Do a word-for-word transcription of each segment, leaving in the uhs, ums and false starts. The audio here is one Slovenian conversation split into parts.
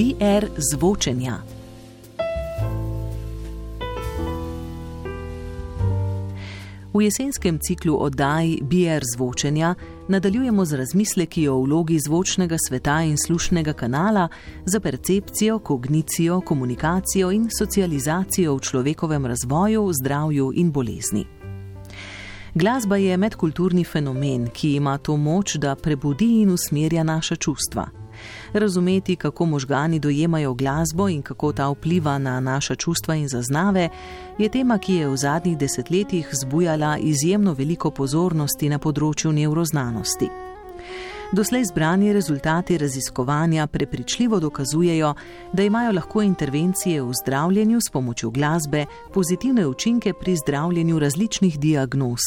B R zvočenja. V jesenskem ciklu oddaj B R zvočenja nadaljujemo z razmisleki o vlogi zvočnega sveta in slušnega kanala za percepcijo, kognicijo, komunikacijo in socializacijo v človekovem razvoju, zdravju in bolezni. Glasba je medkulturni fenomen, ki ima to moč, da prebudi in usmerja naša čustva. Razumeti, kako možgani dojemajo glasbo in kako ta vpliva na naša čustva in zaznave, je tema, ki je v zadnjih desetletjih zbujala izjemno veliko pozornosti na področju nevroznanosti. Doslej zbrani rezultati raziskovanja prepričljivo dokazujejo, da imajo lahko intervencije v zdravljenju s pomočjo glasbe pozitivne učinke pri zdravljenju različnih diagnoz,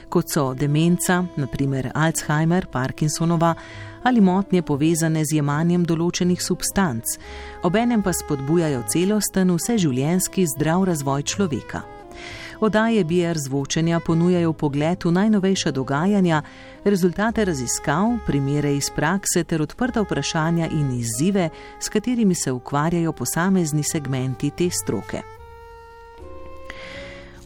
kot so demenca, na primer Alzheimer, Parkinsonova, ali motnje povezane z jemanjem določenih substanc, obenem pa spodbujajo celosten vseživljenjski zdrav razvoj človeka. Oddaje B R zvočenja ponujajo pogled v najnovejša dogajanja, rezultate raziskav, primere iz prakse ter odprta vprašanja in izzive, s katerimi se ukvarjajo posamezni segmenti te stroke.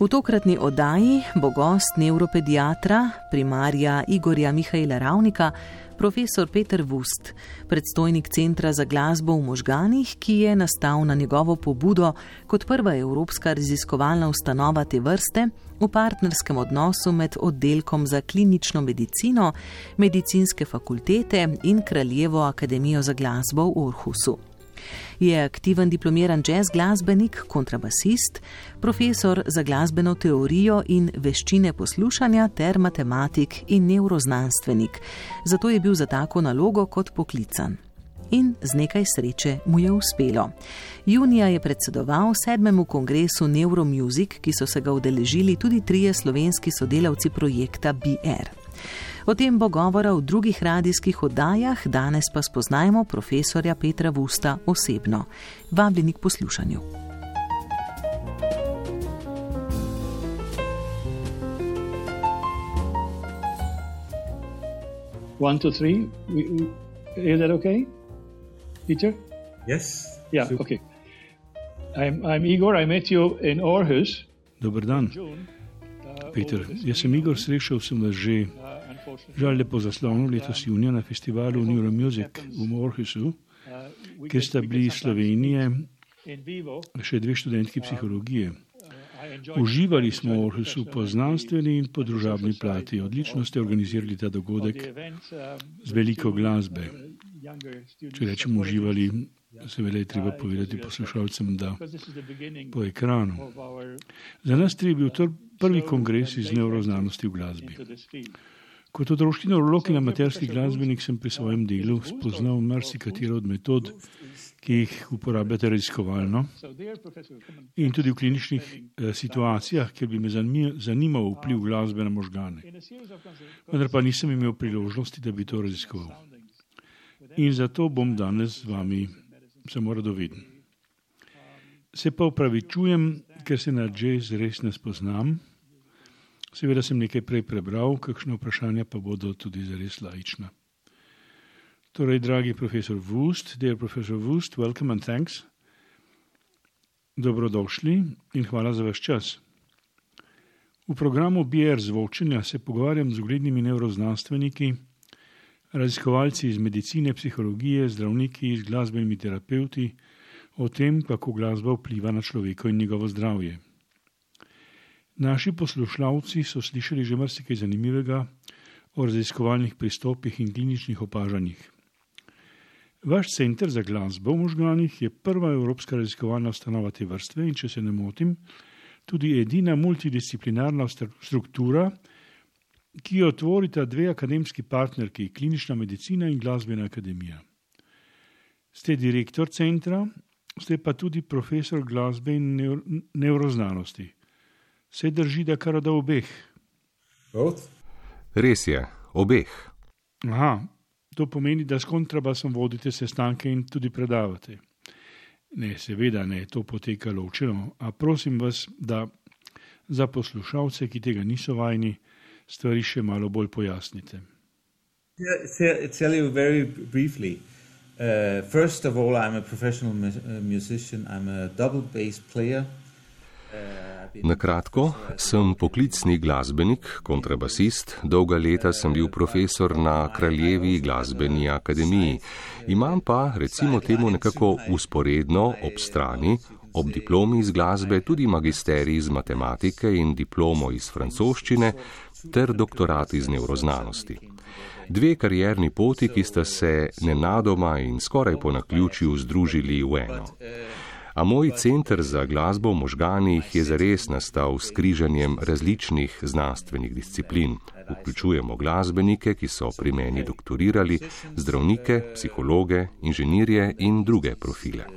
V tokratni oddaji bo gost nevropediatra, primarja Igorja Mihaela Ravnika, profesor Peter Vust, predstojnik Centra za glasbo v možganih, ki je nastal na njegovo pobudo kot prva evropska raziskovalna ustanova te vrste v partnerskem odnosu med oddelkom za klinično medicino, medicinske fakultete in Kraljevo akademijo za glasbo v Orhusu. Je aktiven diplomiran jazz glasbenik, kontrabasist, profesor za glasbeno teorijo in veščine poslušanja ter matematik in nevroznanstvenik. Zato je bil za tako nalogo kot poklican. In z nekaj sreče mu je uspelo. Junija je predsedoval sedmemu kongresu Neuromusic, ki so se ga udeležili tudi trije slovenski sodelavci projekta B R. O tem bo govora v drugih radijskih oddajah, danes pa spoznajmo profesorja Petra Vusta osebno. Vabljeni k poslušanju. One, two, three. Is that okay, Peter? Yes. Yeah, super. Okay. I'm, I'm Igor, I met you in Aarhus. Dobar dan, Peter. Jaz sem Igor, srečal sem vas že žal lepo zaslonu letos junija na festivalu Neuromusic v Aarhusu, kjer sta bili iz Slovenije še dve študentki psihologije. Uživali smo v Aarhusu po znanstveni in po družabni plati. Odlično ste organizirali ta dogodek z veliko glasbe. Če rečem uživali, seveda je treba povedati poslušalcem, da po ekranu. Za nas tri je bil to prvi kongres iz nevroznanosti v glasbi. Kot otroški nevrolog in amaterski glasbenik sem pri svojem delu spoznal marsikatero od metod, ki jih uporabljate raziskovalno in tudi v kliničnih eh, situacijah, kjer bi me zanimal vpliv glasbe na možgane. Vendar pa nisem imel priložnosti, da bi to raziskoval. In zato bom danes z vami samo radoveden. Se pa opravičujem, ker se na jazz res ne spoznam. Seveda sem nekaj prej prebral, kakšne vprašanja pa bodo tudi zares laična. Torej, dragi profesor Vust, dear professor Vust, welcome and thanks. Dobrodošli in hvala za vaš čas. V programu B R zvočenja se pogovarjam z uglednimi nevroznanstveniki, raziskovalci iz medicine, psihologije, zdravniki, z glasbenimi terapeuti o tem, kako glasba vpliva na človeka in njegovo zdravje. Naši poslušalci so slišali že marsikaj zanimivega o raziskovalnih pristopih in kliničnih opažanjih. Vaš center za glasbo v možganih je prva evropska raziskovalna ustanova te vrste in, če se ne motim, tudi edina multidisciplinarna struktura, ki jo tvorita dve akademski partnerki, klinična medicina in glasbena akademija. Ste direktor centra, ste pa tudi profesor glasbe in nevroznanosti. Se drži, da kar da obeh? Both? Res je, obeh. Aha, to pomeni, da s kontrabasom vodite sestanke in tudi predavate. Ne, seveda ne, to poteka ločeno, a prosim vas, da za poslušalce, ki tega niso vajni, stvari še malo bolj pojasnite. Yeah, tell you very briefly. Uh, first of all, I'm a professional mu- musician. I'm a double bass player. Na kratko, sem poklicni glasbenik, kontrabasist, dolga leta sem bil profesor na Kraljevi glasbeni akademiji. Imam pa, recimo temu nekako usporedno, ob strani, ob diplomi iz glasbe, tudi magisterij iz matematike in diplomo iz francoščine ter doktorat iz nevroznanosti. Dve karierni poti, ki sta se nenadoma in skoraj po naključju združili v eno. A moj center za glasbo v možganih je zares nastal s križanjem različnih znanstvenih disciplin. Vključujemo glasbenike, ki so pri meni doktorirali, zdravnike, psihologe, inženirje in druge profile.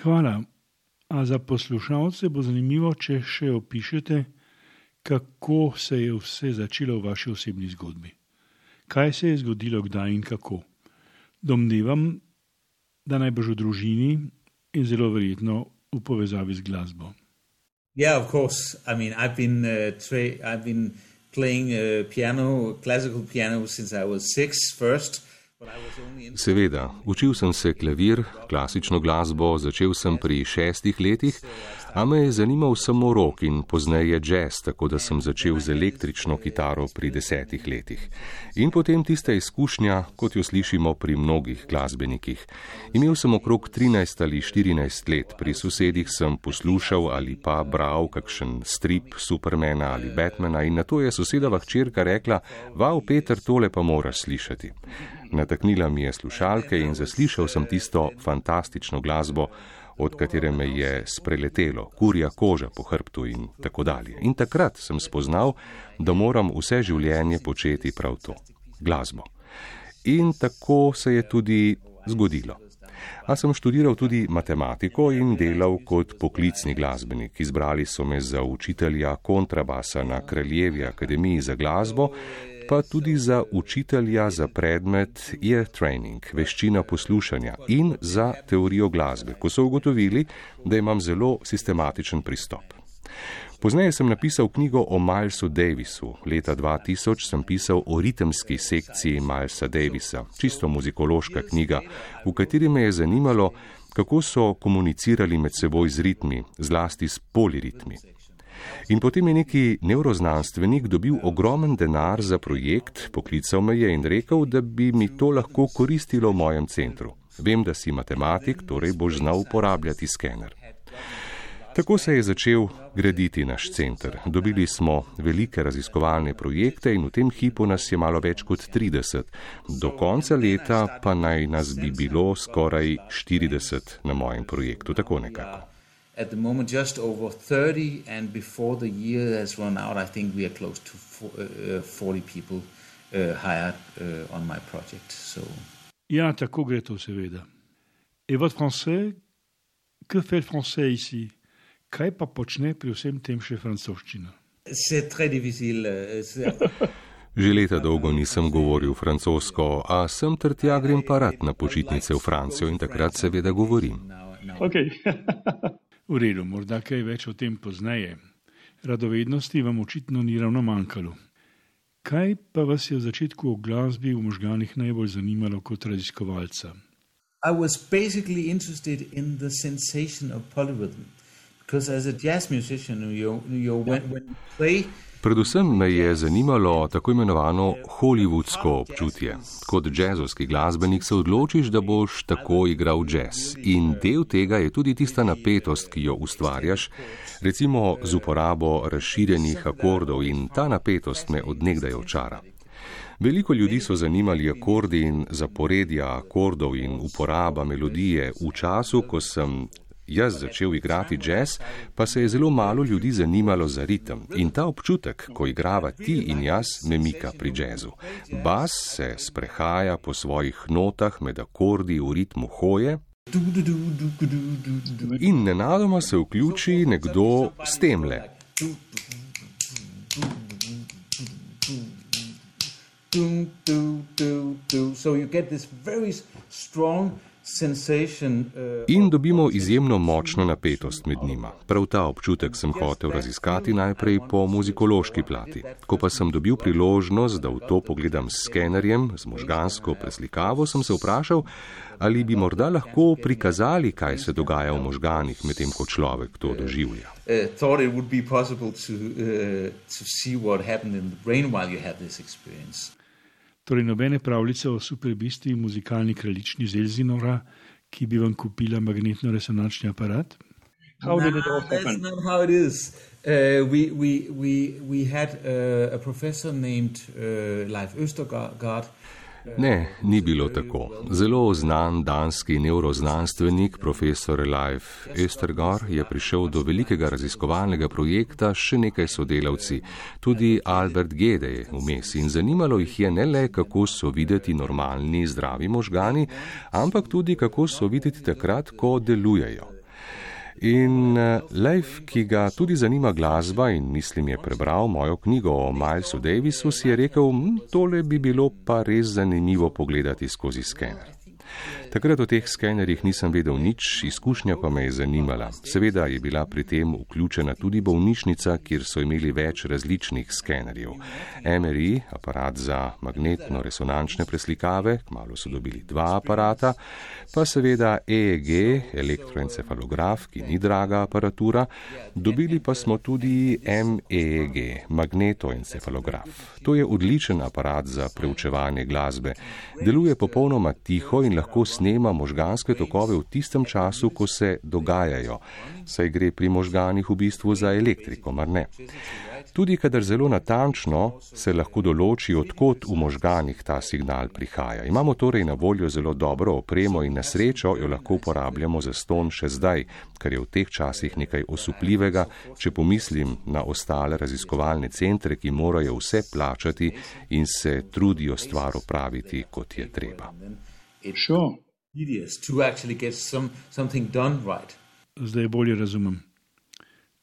Hvala. A za poslušalce bo zanimivo, če še opišete, kako se je vse začelo v vaši osebni zgodbi. Kaj se je zgodilo, kdaj in kako? Domnevam, da najbrž v družini in zelo verjetno v povezavi z glasbo. Yeah, of course. I mean, I've been uh, tra- I've been playing uh, piano, classical piano since I was six first. Seveda, učil sem se klavir, klasično glasbo, začel sem pri šestih letih, a me je zanimal samo rock in pozneje jazz, tako da sem začel z električno kitaro pri desetih letih. In potem tista izkušnja, kot jo slišimo pri mnogih glasbenikih. Imel sem okrog trinajst ali štirinajst let, pri sosedih sem poslušal ali pa bral kakšen strip Supermana ali Batmana in nato je sosedova hčerka rekla: "Vav, Peter, tole pa moraš slišati." Nataknila mi je slušalke in zaslišal sem tisto fantastično glasbo, od katere me je spreletelo, kurja koža po hrbtu in tako dalje. In takrat sem spoznal, da moram vse življenje početi prav to, glasbo. In tako se je tudi zgodilo. A sem študiral tudi matematiko in delal kot poklicni glasbenik. Izbrali so me za učitelja kontrabasa na Kraljevi akademiji za glasbo, pa tudi za učitelja za predmet ear training, veščina poslušanja in za teorijo glasbe, ko so ugotovili, da imam zelo sistematičen pristop. Pozneje sem napisal knjigo o Milesu Davisu. Leta dva tisoč sem pisal o ritemski sekciji Milesa Davisa, čisto muzikološka knjiga, v kateri me je zanimalo, kako so komunicirali med seboj z ritmi, zlasti s poliritmi. In potem je neki nevroznanstvenik dobil ogromen denar za projekt, poklical me je in rekel, da bi mi to lahko koristilo v mojem centru. Vem, da si matematik, torej boš znal uporabljati skener. Tako se je začel graditi naš center. Dobili smo velike raziskovalne projekte in v tem hipu nas je malo več kot trideset. Do konca leta pa naj nas bi bilo skoraj štirideset na mojem projektu, tako nekako. At the moment just over thirty, and before the year has run out, I think we are close to forty people uh, hired uh, on my project. So. Ja, tako gre to seveda. Et votre français, que fait le français ici? Kaj pa počne pri vsem tem še francoščina? C'est très difficile. Že leta dolgo nisem govoril francosko, a sem ter tja grem pa rad na počitnice v Francijo in takrat seveda govorim. Okay. V redu, morda kaj več o tem pozneje. Radovednosti vam očitno ni ravno manjkalo. Kaj pa vas je v začetku o glasbi v možganih najbolj zanimalo kot raziskovalca? I was basically interested in the sensation of polyrhythm. Because as a jazz musician, you, you, when, when you play... Predvsem me je zanimalo tako imenovano hollywoodsko občutje. Kot džezovski glasbenik se odločiš, da boš tako igral džez. In del tega je tudi tista napetost, ki jo ustvarjaš, recimo z uporabo razširjenih akordov, in ta napetost me odnegdaj očara. Veliko ljudi so zanimali akordi in zaporedja akordov in uporaba melodije. V času, ko sem jaz začel igrati džez, pa se je zelo malo ljudi zanimalo za ritem. In ta občutek, ko igrava ti in jaz, me mika pri džezu. Bas se sprehaja po svojih notah med akordi v ritmu hoje in nenadoma se vključi nekdo s temle. So you get this very strong In dobimo izjemno močno napetost med njima. Prav ta občutek sem hotel raziskati najprej po muzikološki plati. Ko pa sem dobil priložnost, da v to pogledam s skenerjem, z možgansko preslikavo, sem se vprašal, ali bi morda lahko prikazali, kaj se dogaja v možganih, medtem ko človek to doživlja. Torej nobene pravljice o superbisti muzikalni kraljični iz Elsinora, ki bi vam kupila magnetno-resonančni aparat? How did it all happen? That's not how it is. Uh, we, we, we, we had uh, a professor named uh, Leif Østergaard. Ne, ni bilo tako. Zelo znan danski nevroznanstvenik, profesor Leif Østergaard, je prišel do velikega raziskovalnega projekta s še nekaj sodelavci, tudi Albert Gede je vmes, in zanimalo jih je ne le, kako so videti normalni, zdravi možgani, ampak tudi, kako so videti takrat, ko delujejo. In Leif, ki ga tudi zanima glasba in mislim je prebral mojo knjigo o Milesu Davisu, si je rekel, tole bi bilo pa res zanimivo pogledati skozi skener. Takrat o teh skenerjih nisem vedel nič, izkušnja pa me je zanimala. Seveda je bila pri tem vključena tudi bolnišnica, kjer so imeli več različnih skenerjev. M R I, aparat za magnetno-resonančne preslikave, kmalu so dobili dva aparata, pa seveda E E G, elektroencefalograf, ki ni draga aparatura, dobili pa smo tudi M E E G, magnetoencefalograf. To je odličen aparat za preučevanje glasbe. Deluje popolnoma tiho in lahko snema možganske tokove v tistem času, ko se dogajajo, saj gre pri možganih v bistvu za elektriko, mar ne? Tudi kadar zelo natančno se lahko določi, odkot v možganih ta signal prihaja. Imamo torej na voljo zelo dobro opremo in na srečo jo lahko uporabljamo za ston še zdaj, kar je v teh časih nekaj osupljivega, če pomislim na ostale raziskovalne centre, ki morajo vse plačati in se trudijo stvar opraviti, kot je treba. Sure. Zdaj bolje razumem.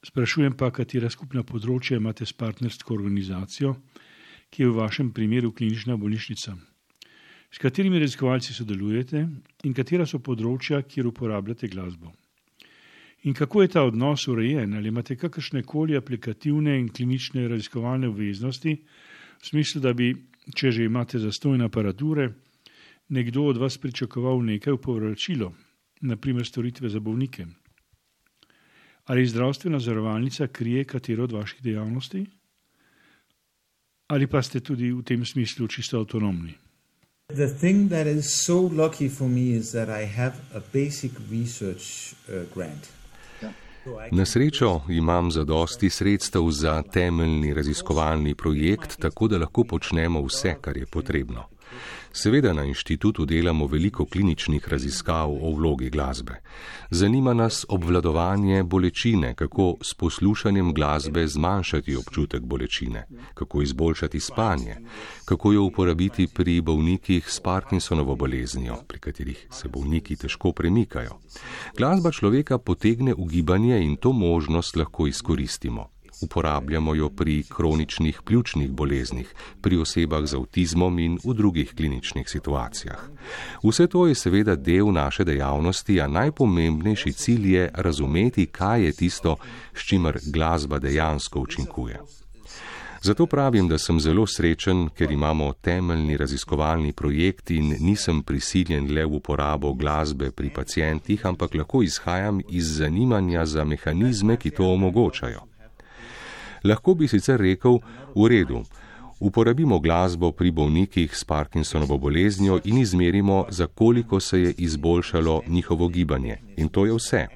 Sprašujem pa, katera skupna področja imate s partnersko organizacijo, ki je v vašem primeru klinična bolnišnica. S katerimi raziskovalci sodelujete in katera so področja, kjer uporabljate glasbo? In kako je ta odnos urejen? Ali imate kakršne koli aplikativne in klinične raziskovalne obveznosti, v smislu, da bi, če že imate zastonj aparature, nekdo od vas pričakoval nekaj v povračilo, na primer storitve za bolnike? Ali zdravstvena zavarovalnica krije katero od vaših dejavnosti? Ali pa ste tudi v tem smislu čisto avtonomni? The thing that is so lucky for me is that I have a basic research uh, grant. Na srečo imam zadosti sredstev za temeljni raziskovalni projekt, tako da lahko počnemo vse, kar je potrebno. Seveda na inštitutu delamo veliko kliničnih raziskav o vlogi glasbe. Zanima nas obvladovanje bolečine, kako s poslušanjem glasbe zmanjšati občutek bolečine, kako izboljšati spanje, kako jo uporabiti pri bolnikih s Parkinsonovo boleznijo, pri katerih se bolniki težko premikajo. Glasba človeka potegne v gibanje in to možnost lahko izkoristimo. Uporabljamo jo pri kroničnih pljučnih boleznih, pri osebah z avtizmom in v drugih kliničnih situacijah. Vse to je seveda del naše dejavnosti, a najpomembnejši cilj je razumeti, kaj je tisto, s čimer glasba dejansko učinkuje. Zato pravim, da sem zelo srečen, ker imamo temeljni raziskovalni projekt in nisem prisiljen le v uporabo glasbe pri pacientih, ampak lahko izhajam iz zanimanja za mehanizme, ki to omogočajo. Lahko bi sicer rekel, v redu, uporabimo glasbo pri bolnikih s Parkinsonovo boleznijo in izmerimo, za koliko se je izboljšalo njihovo gibanje. In to je vse.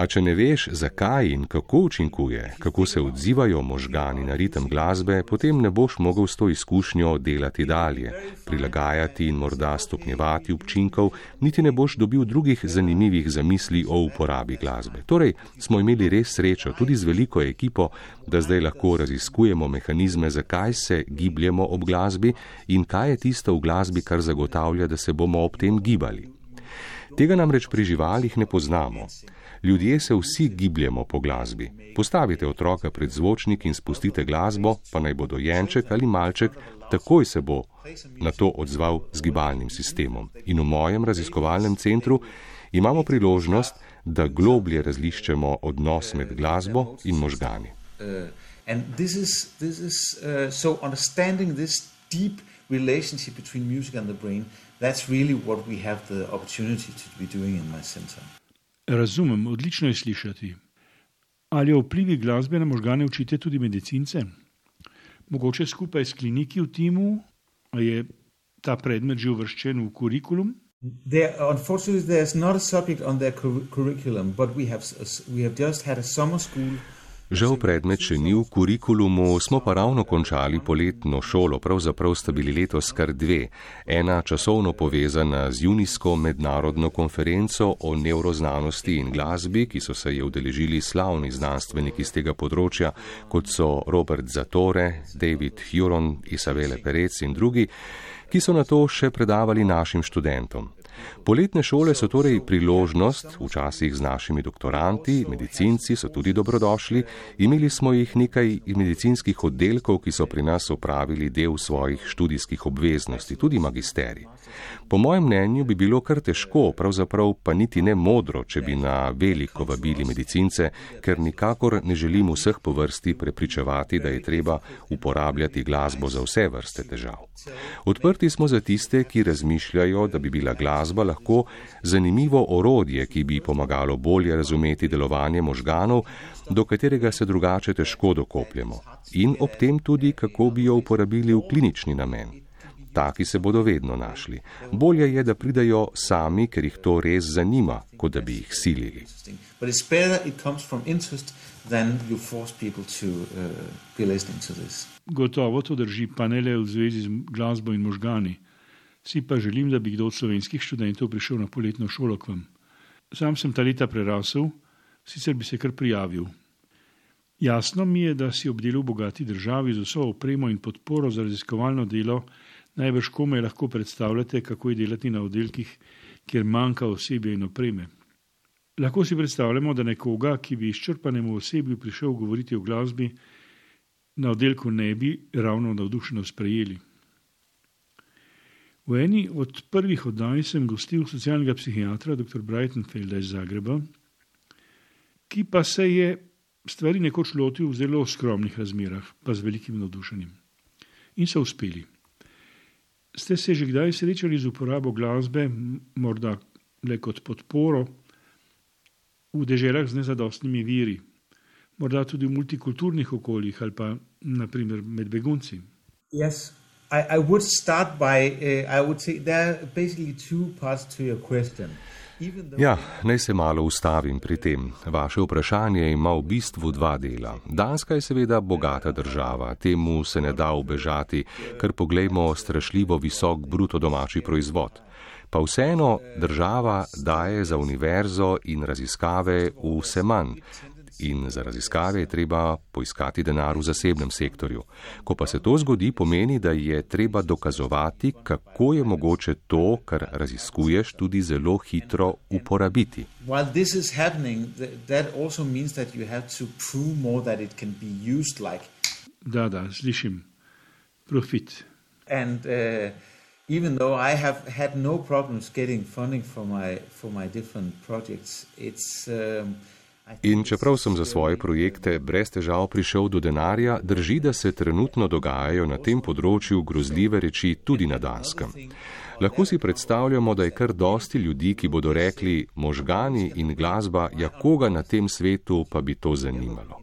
A če ne veš, zakaj in kako učinkuje, kako se odzivajo možgani na ritem glasbe, potem ne boš mogel s to izkušnjo delati dalje, prilagajati in morda stopnjevati učinkov, niti ne boš dobil drugih zanimivih zamisli o uporabi glasbe. Torej, smo imeli res srečo, tudi z veliko ekipo, da zdaj lahko raziskujemo mehanizme, zakaj se gibljemo ob glasbi in kaj je tisto v glasbi, kar zagotavlja, da se bomo ob tem gibali. Tega namreč pri živalih ne poznamo. Ljudje se vsi gibljemo po glasbi. Postavite otroka pred zvočnik in spustite glasbo, pa naj bo dojenček ali malček, takoj se bo na to odzval z gibalnim sistemom. In v mojem raziskovalnem centru imamo priložnost, da globlje razliščemo odnos med glasbo in možgani. And this is, this is, uh, so understanding this deep relationship between music and the brain, that's really what we have the opportunity to be doing in my center. Razumem, odlično je slišati. Ali o vplivi glasbe na možgane učite tudi medicince? Mogoče skupaj s kliniki v timu, a je ta predmet že uvrščen v kurikulum? There, unfortunately, there's not a subject on their curriculum, but we have, we have just had a summer school. Žal predmet še ni v kurikulumu, smo pa ravno končali poletno šolo, pravzaprav sta bili letos kar dve. Ena časovno povezana z junijsko mednarodno konferenco o nevroznanosti in glasbi, ki so se je udeležili slavni znanstveniki z tega področja, kot so Robert Zatorre, David Huron, Isabelle Perez in drugi, ki so na to še predavali našim študentom. Poletne šole so torej priložnost, včasih z našimi doktoranti, medicinci so tudi dobrodošli, imeli smo jih nekaj medicinskih oddelkov, ki so pri nas opravili del svojih študijskih obveznosti, tudi magisterij. Po mojem mnenju bi bilo kar težko, pravzaprav pa niti ne modro, če bi na veliko vabili medicince, ker nikakor ne želim vseh po vrsti prepričevati, da je treba uporabljati glasbo za vse vrste težav. Odprti smo za tiste, ki razmišljajo, da bi bila glasba lahko zanimivo orodje, ki bi pomagalo bolje razumeti delovanje možganov, do katerega se drugače težko dokopljemo, in ob tem tudi, kako bi jo uporabili v klinični namen. Taki se bodo vedno našli. Bolje je, da pridajo sami, ker jih to res zanima, kot da bi jih silili. Gotovo to drži, pa ne le v zvezi z glasbo in možgani. Si pa želim, da bi kdo od slovenskih študentov prišel na poletno šolo k vam. Sam sem ta leta prerasel, sicer bi se kar prijavil. Jasno mi je, da si ob delu v bogati državi z vso opremo in podporo za raziskovalno delo najbrž komaj lahko predstavljate, kako je delati na oddelkih, kjer manjka osebja in opreme. Lahko si predstavljamo, da nekoga, ki bi izčrpanemu osebju prišel govoriti o glasbi, na oddelku ne bi ravno navdušeno sprejeli. V eni od prvih oddaj sem gostil socialnega psihiatra dr. Breitenfelda iz Zagreba, ki pa se je stvari nekoč lotil v zelo skromnih razmerah, pa z velikim navdušenjem. In so uspeli. Ste se že kdaj srečali z uporabo glasbe, morda le kot podporo, v deželah z nezadostnimi viri, morda tudi v multikulturnih okoljih ali pa naprimer med begunci? Yes, I, I would start by, uh, I would say there are basically two parts to your question. Ja, naj se malo ustavim pri tem. Vaše vprašanje ima v bistvu dva dela. Danska je seveda bogata država, temu se ne da ubežati, ker poglejmo strašljivo visok bruto domači proizvod. Pa vseeno država daje za univerzo in raziskave vse manj. In za raziskave je treba poiskati denar v zasebnem sektorju. Ko pa se to zgodi, pomeni, da je treba dokazovati, kako je mogoče to, kar raziskuješ, tudi zelo hitro uporabiti. Da, da, slišim. Profit. And uh, even though I have had no problems getting funding for my, for my different projects, it's... Um, In čeprav sem za svoje projekte brez težav prišel do denarja, drži, da se trenutno dogajajo na tem področju grozljive reči tudi na Danskem. Lahko si predstavljamo, da je kar dosti ljudi, ki bodo rekli, možgani in glasba, ja koga na tem svetu pa bi to zanimalo.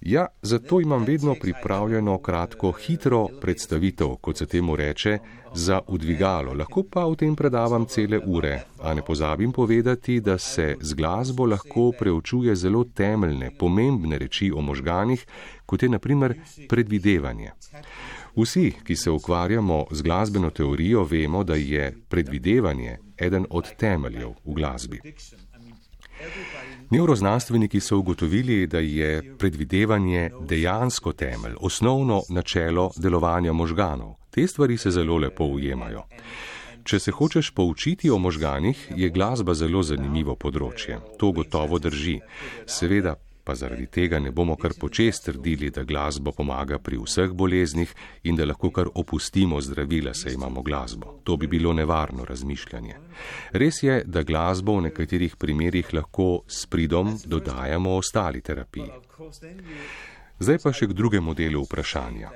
Ja, zato imam vedno pripravljeno kratko, hitro predstavitev, kot se temu reče, za udvigalo. Lahko pa v tem predavam cele ure, a ne pozabim povedati, da se z glasbo lahko preučuje zelo temeljne, pomembne reči o možganih, kot je na primer predvidevanje. Vsi, ki se ukvarjamo z glasbeno teorijo, vemo, da je predvidevanje eden od temeljev v glasbi. Nevroznanstveniki so ugotovili, da je predvidevanje dejansko temelj, osnovno načelo delovanja možganov. Te stvari se zelo lepo ujemajo. Če se hočeš poučiti o možganih, je glasba zelo zanimivo področje. To gotovo drži. Seveda pa zaradi tega ne bomo kar počez trdili, da glasba pomaga pri vseh boleznih in da lahko kar opustimo zdravila, saj imamo glasbo. To bi bilo nevarno razmišljanje. Res je, da glasbo v nekaterih primerih lahko s pridom dodajamo ostali terapiji. Zdaj pa še k drugemu delu vprašanja.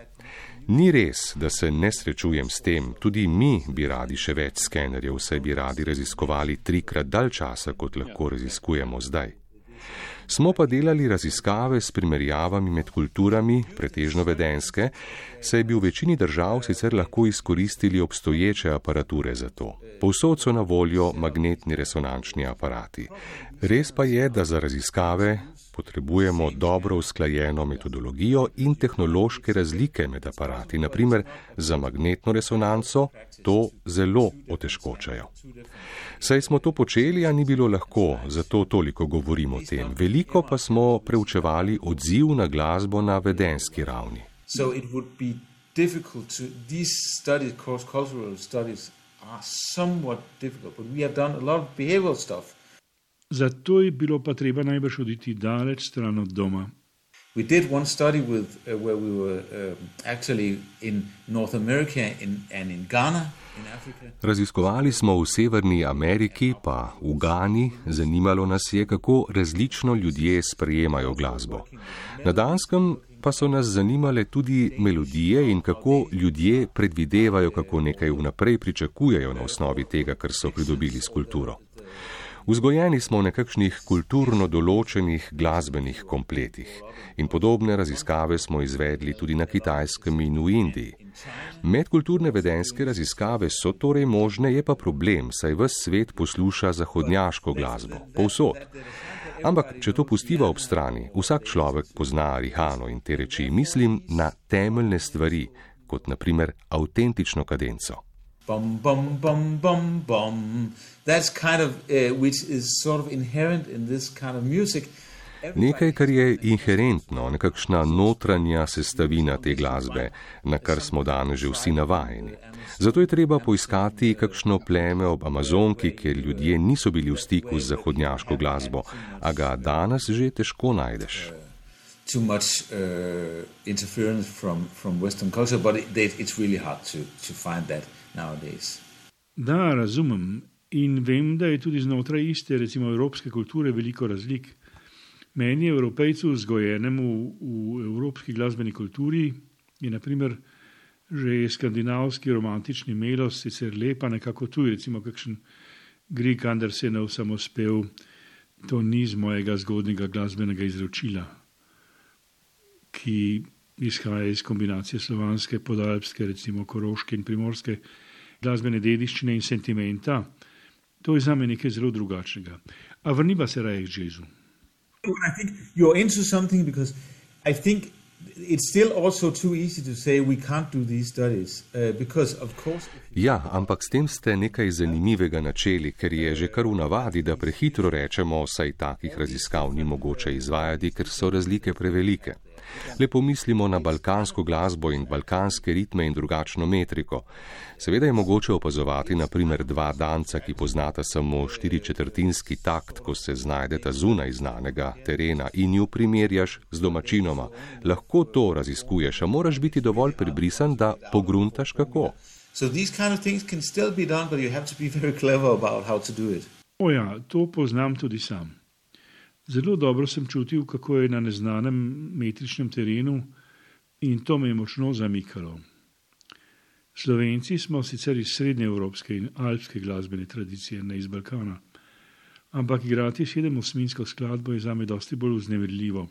Ni res, da se ne srečujem s tem, tudi mi bi radi še več skenerjev, saj bi radi raziskovali trikrat dalj časa, kot lahko raziskujemo zdaj. Smo pa delali raziskave s primerjavami med kulturami, pretežno vedenske, saj bi v večini držav sicer lahko izkoristili obstoječe aparature za to. Povsod so na voljo magnetni resonančni aparati. Res pa je, da za raziskave potrebujemo dobro usklajeno metodologijo in tehnološke razlike med aparati. Naprimer, za magnetno resonanco to zelo otežkočajo. Saj smo to počeli, a ni bilo lahko, zato toliko govorimo o tem. Veliko pa smo preučevali odziv na glasbo na vedenski ravni. So it would be difficult to, these studies, cross-cultural studies are somewhat difficult, but we have done a lot of behavioral stuff. Zato je bilo pa treba najbrž oditi daleč stran od doma. We did one study with, uh, where we were uh, actually in North America in, and in Ghana, in Africa. Raziskovali smo v Severni Ameriki, pa v Gani. Zanimalo nas je, kako različno ljudje sprejemajo glasbo. Na Danskem pa so nas zanimale tudi melodije in kako ljudje predvidevajo, kako nekaj vnaprej pričakujejo na osnovi tega, kar so pridobili s kulturo. Vzgojeni smo v nekakšnih kulturno določenih glasbenih kompletih in podobne raziskave smo izvedli tudi na Kitajskem in v Indiji. Medkulturne vedenske raziskave so torej možne, je pa problem, saj ves svet posluša zahodnjaško glasbo, povsod. Ampak, če to pustiva ob strani, vsak človek pozna Rihano in te reči, mislim na temeljne stvari, kot na primer avtentično kadenco. Bum, bum, bum, bum, bum. That's kind of, uh, which is sort of inherent in this kind of music. Nekaj, kar je inherentno, nekakšna notranja sestavina te glasbe, na kar smo danes že vsi navajeni. Zato je treba poiskati kakšno pleme ob Amazonki, kjer ljudje niso bili v stiku z zahodnjaško glasbo, a ga danes že težko najdeš. Too much uh, interference from, from Western culture, but it, it's really hard to, to find that nowadays. Da, razumem. In vem, da je tudi znotraj iste, recimo evropske kulture, veliko razlik. Meni, Evropejcu, vzgojenemu v evropski glasbeni kulturi, je naprimer že skandinavski romantični melos sicer lepa, nekako tuj, recimo kakšen Grieg Andersenov samospev, to ni z mojega zgodnega glasbenega izročila, ki izhaja iz kombinacije slovanske, podalpske, recimo koroške in primorske glasbene dediščine in sentimenta. To je zame nekaj zelo drugačnega. A vrniva se raje k jazzu. I think you're into something because I think it's still also too easy to say we can't do these studies uh, because of course. Ja, ampak s tem ste nekaj zanimivega načeli, ker je že kar v navadi, da prehitro rečemo, saj takih raziskav ni mogoče izvajati, ker so razlike prevelike. Le pomislimo na balkansko glasbo in balkanske ritme in drugačno metriko. Seveda je mogoče opazovati na primer dva danca, ki poznata samo štiričetrtinski takt, ko se znajdeta zunaj znanega terena in ju primerjaš z domačinoma. Lahko to raziskuješ, a moraš biti dovolj prebrisan, da pogruntaš kako. So these kind of things can still be done, but you have to be very clever about how to do it. O ja, to poznam tudi sam. Zelo dobro sem čutil, kako je na neznanem metričnem terenu in to me je močno zamikalo. Slovenci smo sicer iz srednjeevropske in alpske glasbene tradicije, ne iz Balkana, ampak igrati sedemosminsko skladbo je zame dosti bolj vznemirljivo,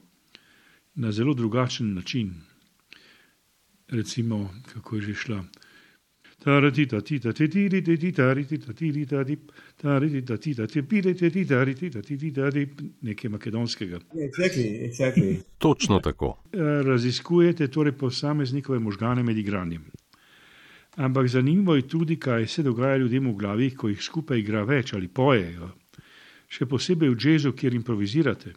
na zelo drugačen način. Recimo, kako je že šla. Nekaj makedonskega. Exactly, exactly. Točno tako. Raziskujete torej posameznikove možgane med igranjem. Ampak zanimivo je tudi, kaj se dogaja ljudem v glavi, ko jih skupaj igra več ali pojejo. Še posebej v jazzu, kjer improvizirate.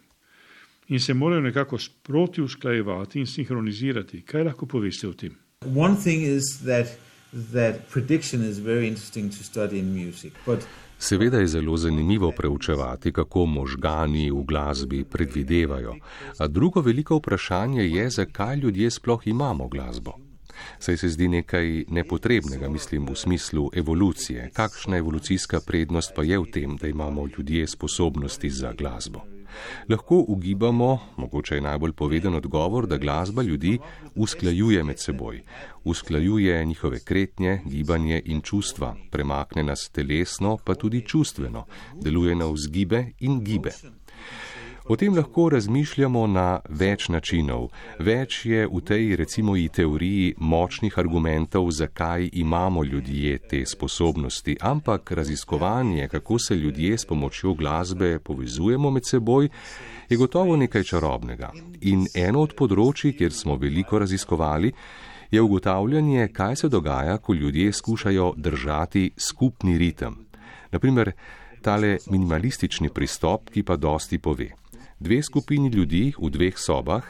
In se morajo nekako sproti usklajevati in sinhronizirati. Kaj lahko poveste o tem? One thing is that that prediction is very interesting to study in music, but Seveda je zelo zanimivo preučevati, kako možgani v glasbi predvidevajo, a drugo veliko vprašanje je, zakaj ljudje sploh imamo glasbo. Saj se zdi nekaj nepotrebnega, mislim v smislu evolucije. Kakšna evolucijska prednost pa je v tem, da imamo ljudje sposobnosti za glasbo? Lahko ugibamo, mogoče je najbolj poveden odgovor, da glasba ljudi usklajuje med seboj. Usklajuje njihove kretnje, gibanje in čustva, premakne nas telesno, pa tudi čustveno, deluje na vzgibe in gibe. O tem lahko razmišljamo na več načinov. Več je v tej, recimo, i teoriji močnih argumentov, zakaj imamo ljudje te sposobnosti, ampak raziskovanje, kako se ljudje s pomočjo glasbe povezujemo med seboj, je gotovo nekaj čarobnega. In eno od področij, kjer smo veliko raziskovali, je ugotavljanje, kaj se dogaja, ko ljudje skušajo držati skupni ritem. Naprimer, tale minimalistični pristop, ki pa dosti pove. Dve skupini ljudi v dveh sobah,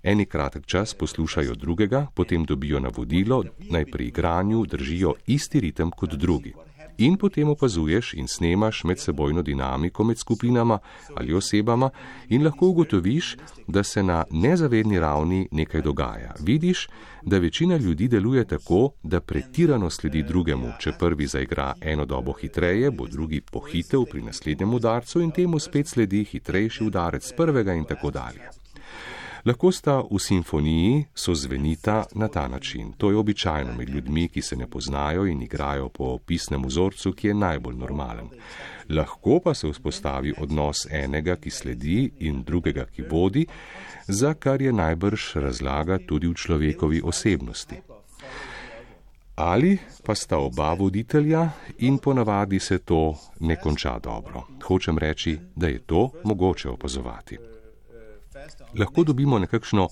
eni kratek čas poslušajo drugega, potem dobijo navodilo, naj pri igranju držijo isti ritem kot drugi. In potem opazuješ in snemaš medsebojno dinamiko med skupinama ali osebama in lahko ugotoviš, da se na nezavedni ravni nekaj dogaja. Vidiš, da večina ljudi deluje tako, da pretirano sledi drugemu. Če prvi zaigra eno dobo hitreje, bo drugi pohitev pri naslednjem udarcu in temu spet sledi hitrejši udarec prvega in tako dalje. Lahko sta v simfoniji sozvenita na ta način. To je običajno med ljudmi, ki se ne poznajo in igrajo po pisnem vzorcu, ki je najbolj normalen. Lahko pa se vzpostavi odnos enega, ki sledi, in drugega, ki vodi, za kar je najbrž razlaga tudi v človekovi osebnosti. Ali pa sta oba voditelja in ponavadi se to ne konča dobro. Hočem reči, da je to mogoče opazovati. Lahko dobimo nekakšno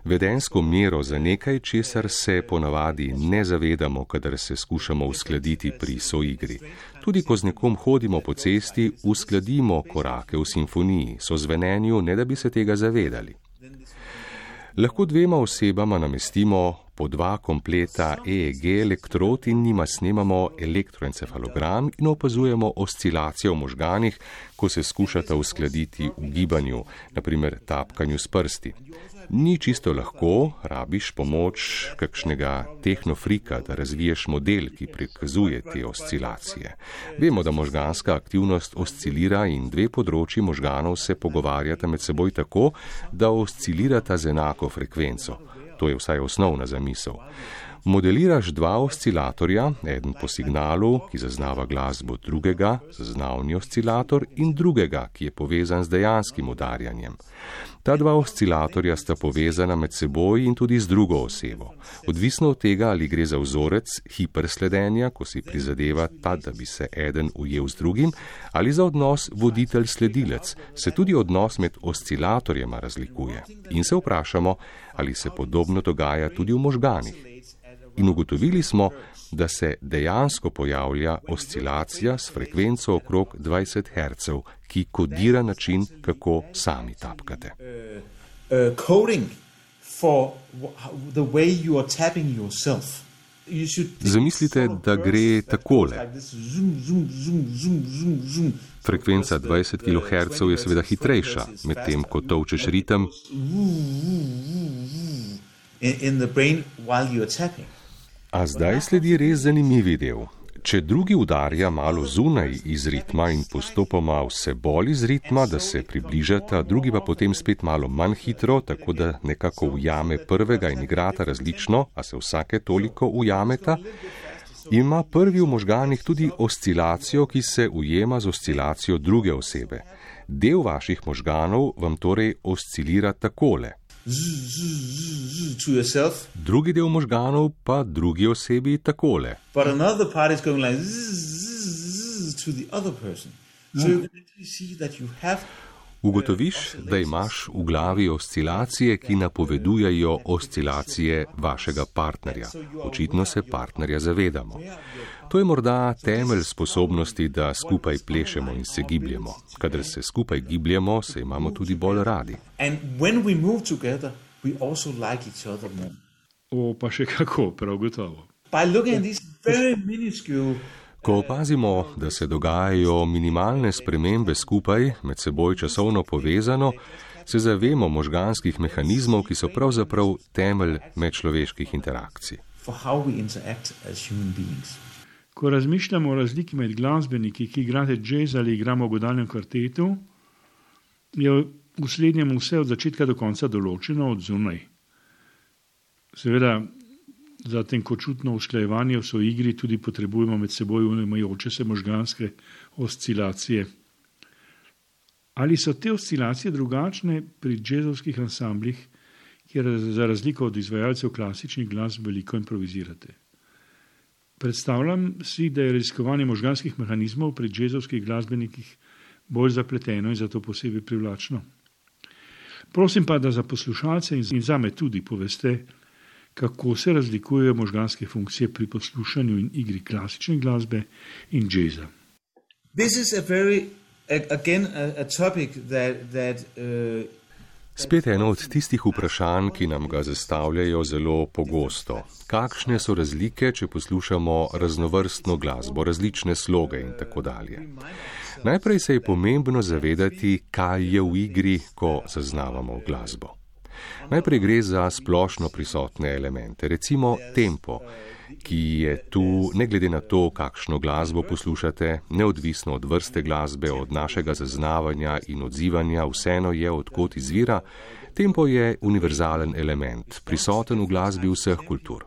vedensko mero za nekaj, česar se ponavadi ne zavedamo, kadar se skušamo uskladiti pri soigri. Tudi ko z nekom hodimo po cesti, uskladimo korake v simfoniji, sozvenenju, ne da bi se tega zavedali. Lahko dvema osebama namestimo po dva kompleta E E G elektrod in njima snemamo elektroencefalogram in opazujemo oscilacijo v možganih, ko se skušata uskladiti v gibanju, naprimer tapkanju s prsti. Ni čisto lahko, rabiš pomoč kakšnega tehnofrika, da razviješ model, ki prikazuje te oscilacije. Vemo, da možganska aktivnost oscilira in dve področji možganov se pogovarjata med seboj tako, da oscilirata z enako frekvenco. To je vsaj osnovna zamisel. Modeliraš dva oscilatorja, eden po signalu, ki zaznava glasbo drugega, zaznavni oscilator, in drugega, ki je povezan z dejanskim udarjanjem. Ta dva oscilatorja sta povezana med seboj in tudi z drugo osebo. Odvisno od tega, ali gre za vzorec hipersledenja, ko si prizadeva ta, da bi se eden ujel z drugim, ali za odnos voditelj-sledilec, se tudi odnos med oscilatorjema razlikuje. In se vprašamo, ali se podobno dogaja tudi v možganih. In ugotovili smo, da se dejansko pojavlja oscilacija s frekvenco okrog dvajset hercev, ki kodira način, kako sami tapkate. Zamislite, da gre takole. Frekvenca dvajset kilohercev je seveda hitrejša, medtem ko tolčeš ritem A zdaj sledi res zanimivi del. Če drugi udarja malo zunaj iz ritma in postopoma vse bolj iz ritma, da se približata, drugi pa potem spet malo manj hitro, tako da nekako ujame prvega in igrata različno, a se vsake toliko ujameta, ima prvi v možganih tudi oscilacijo, ki se ujema z oscilacijo druge osebe. Del vaših možganov vam torej oscilira takole. Drugi del možganov pa drugi osebi takole. Ugotoviš, da imaš v glavi oscilacije, ki napovedujejo oscilacije vašega partnerja. Očitno se partnerja zavedamo. To je morda temelj sposobnosti, da skupaj plešemo in se gibljemo. Kadar se skupaj gibljemo, se imamo tudi bolj radi. O, pa še kako, prav gotovo. Ko opazimo, da se dogajajo minimalne spremembe skupaj, med seboj časovno povezano, se zavemo možganskih mehanizmov, ki so pravzaprav temelj medčloveških interakcij. Ko razmišljamo o razliki med glasbeniki, ki igrate jazz ali igramo v godalnem kvartetu, je v slednjem vse od začetka do konca določeno od zunaj. Seveda, za tenkočutno usklajevanje v soigri tudi potrebujemo med seboj unimajoče se možganske oscilacije. Ali so te oscilacije drugačne pri džezovskih ansamblih, kjer za razliko od izvajalcev klasičnih glasb veliko improvizirate? Predstavljam si, da je raziskovanje možganskih mehanizmov pri džezovskih glasbenikih bolj zapleteno in zato posebej privlačno. Prosim pa, da za poslušalce in zame tudi poveste, kako se razlikujejo možganske funkcije pri poslušanju in igri klasične glasbe in džeza. This is a very, again, a, a topic that, that, uh... Spet eno od tistih vprašanj, ki nam ga zastavljajo zelo pogosto. Kakšne so razlike, če poslušamo raznovrstno glasbo, različne sloge in tako dalje? Najprej se je pomembno zavedati, kaj je v igri, ko zaznavamo glasbo. Najprej gre za splošno prisotne elemente, recimo tempo, ki je tu ne glede na to, kakšno glasbo poslušate, neodvisno od vrste glasbe, od našega zaznavanja in odzivanja, vseeno je, odkot izvira. Tempo je univerzalen element, prisoten v glasbi vseh kultur.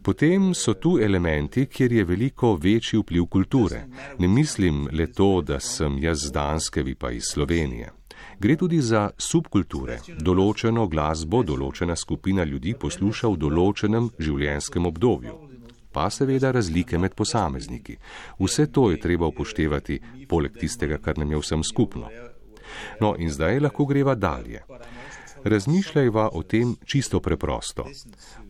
Potem so tu elementi, kjer je veliko večji vpliv kulture. Ne mislim le to, da sem jaz z Danske, vi pa iz Slovenije. Gre tudi za subkulture. Določeno glasbo, določena skupina ljudi posluša v določenem življenjskem obdobju. Pa seveda razlike med posamezniki. Vse to je treba upoštevati, poleg tistega, kar nam je vsem skupno. No, in zdaj lahko greva dalje. Razmišljajva o tem čisto preprosto.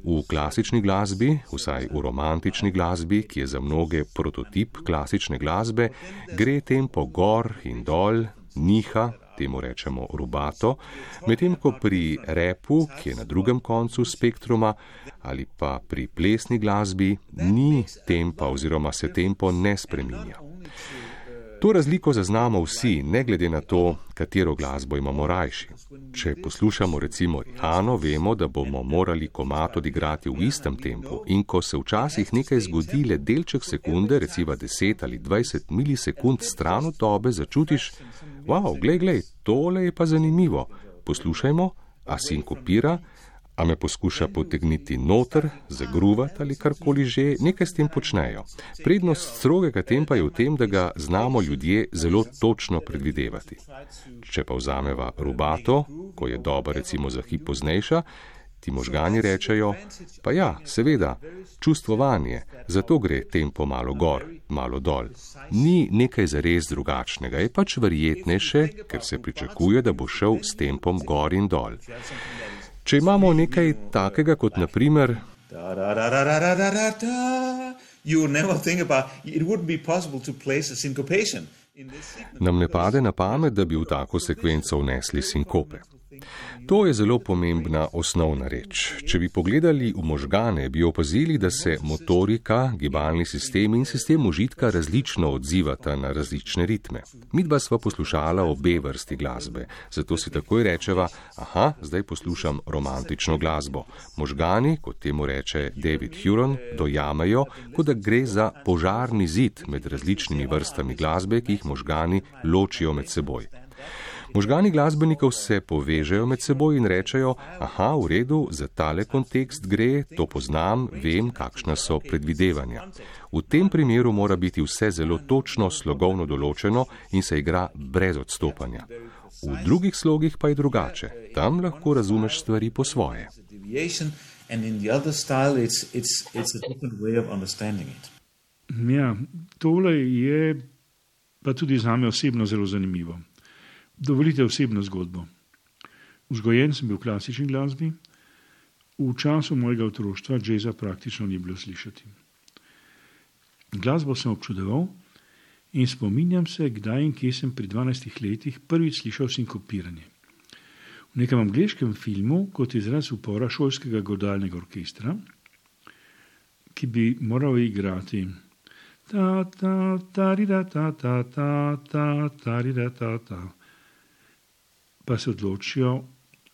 V klasični glasbi, vsaj v romantični glasbi, ki je za mnoge prototip klasične glasbe, gre tempo gor in dol, niha, temu rečemo rubato, medtem ko pri repu, ki je na drugem koncu spektruma, ali pa pri plesni glasbi, ni tempa oziroma se tempo ne spreminja. To razliko zaznamo vsi, ne glede na to, katero glasbo imamo rajši. Če poslušamo recimo Rihano, vemo, da bomo morali komad odigrati v istem tempu in ko se včasih nekaj zgodi le delček sekunde, recimo deset ali dvajset milisekund stran od tobe, začutiš, wow, glej, glej, tole je pa zanimivo. Poslušajmo, a sinkopira, a me poskuša potegniti noter, zagruvati ali karkoli že, nekaj s tem počnejo. Prednost strogega tempa je v tem, da ga znamo ljudje zelo točno predvidevati. Če pa vzameva rubato, ko je doba recimo za hip poznejša, ti možgani rečejo, pa ja, seveda, čustvovanje, zato gre tempo malo gor, malo dol. Ni nekaj zares drugačnega, je pač verjetnejše, ker se pričakuje, da bo šel s tempom gor in dol. Če imamo nekaj takega kot na primer nam ne pade na pamet, da bi v tako sekvenco vnesli sinkope. To je zelo pomembna osnovna reč. Če bi pogledali v možgane, bi opazili, da se motorika, gibalni sistem in sistem užitka različno odzivata na različne ritme. Midva sva poslušala obe vrsti glasbe, zato si takoj rečeva, aha, zdaj poslušam romantično glasbo. Možgani, kot temu reče David Huron, dojamejo, kot da gre za požarni zid med različnimi vrstami glasbe, ki jih možgani ločijo med seboj. Možgani glasbenikov se povežejo med seboj in rečejo, aha, v redu, za tale kontekst gre, to poznam, vem, kakšna so predvidevanja. V tem primeru mora biti vse zelo točno slogovno določeno in se igra brez odstopanja. V drugih slogih pa je drugače. Tam lahko razumeš stvari po svoje. Ja, tole je pa tudi zame osebno zelo zanimivo. Dovolite osebno zgodbo. Vzgojen sem bil v klasični glasbi, v času mojega otroštva džeza praktično ni bilo slišati. Glasbo sem občudoval in spominjam se, kdaj in kje sem pri dvanajstih letih prvič slišal sinkopiranje. V nekem angleškem filmu kot izraz upora šolskega godalnega orkestra, ki bi moral igrati ta, ta, ta, rida, ta, ta, ta, ta, ta, rida, ta, ta. Pa se odločijo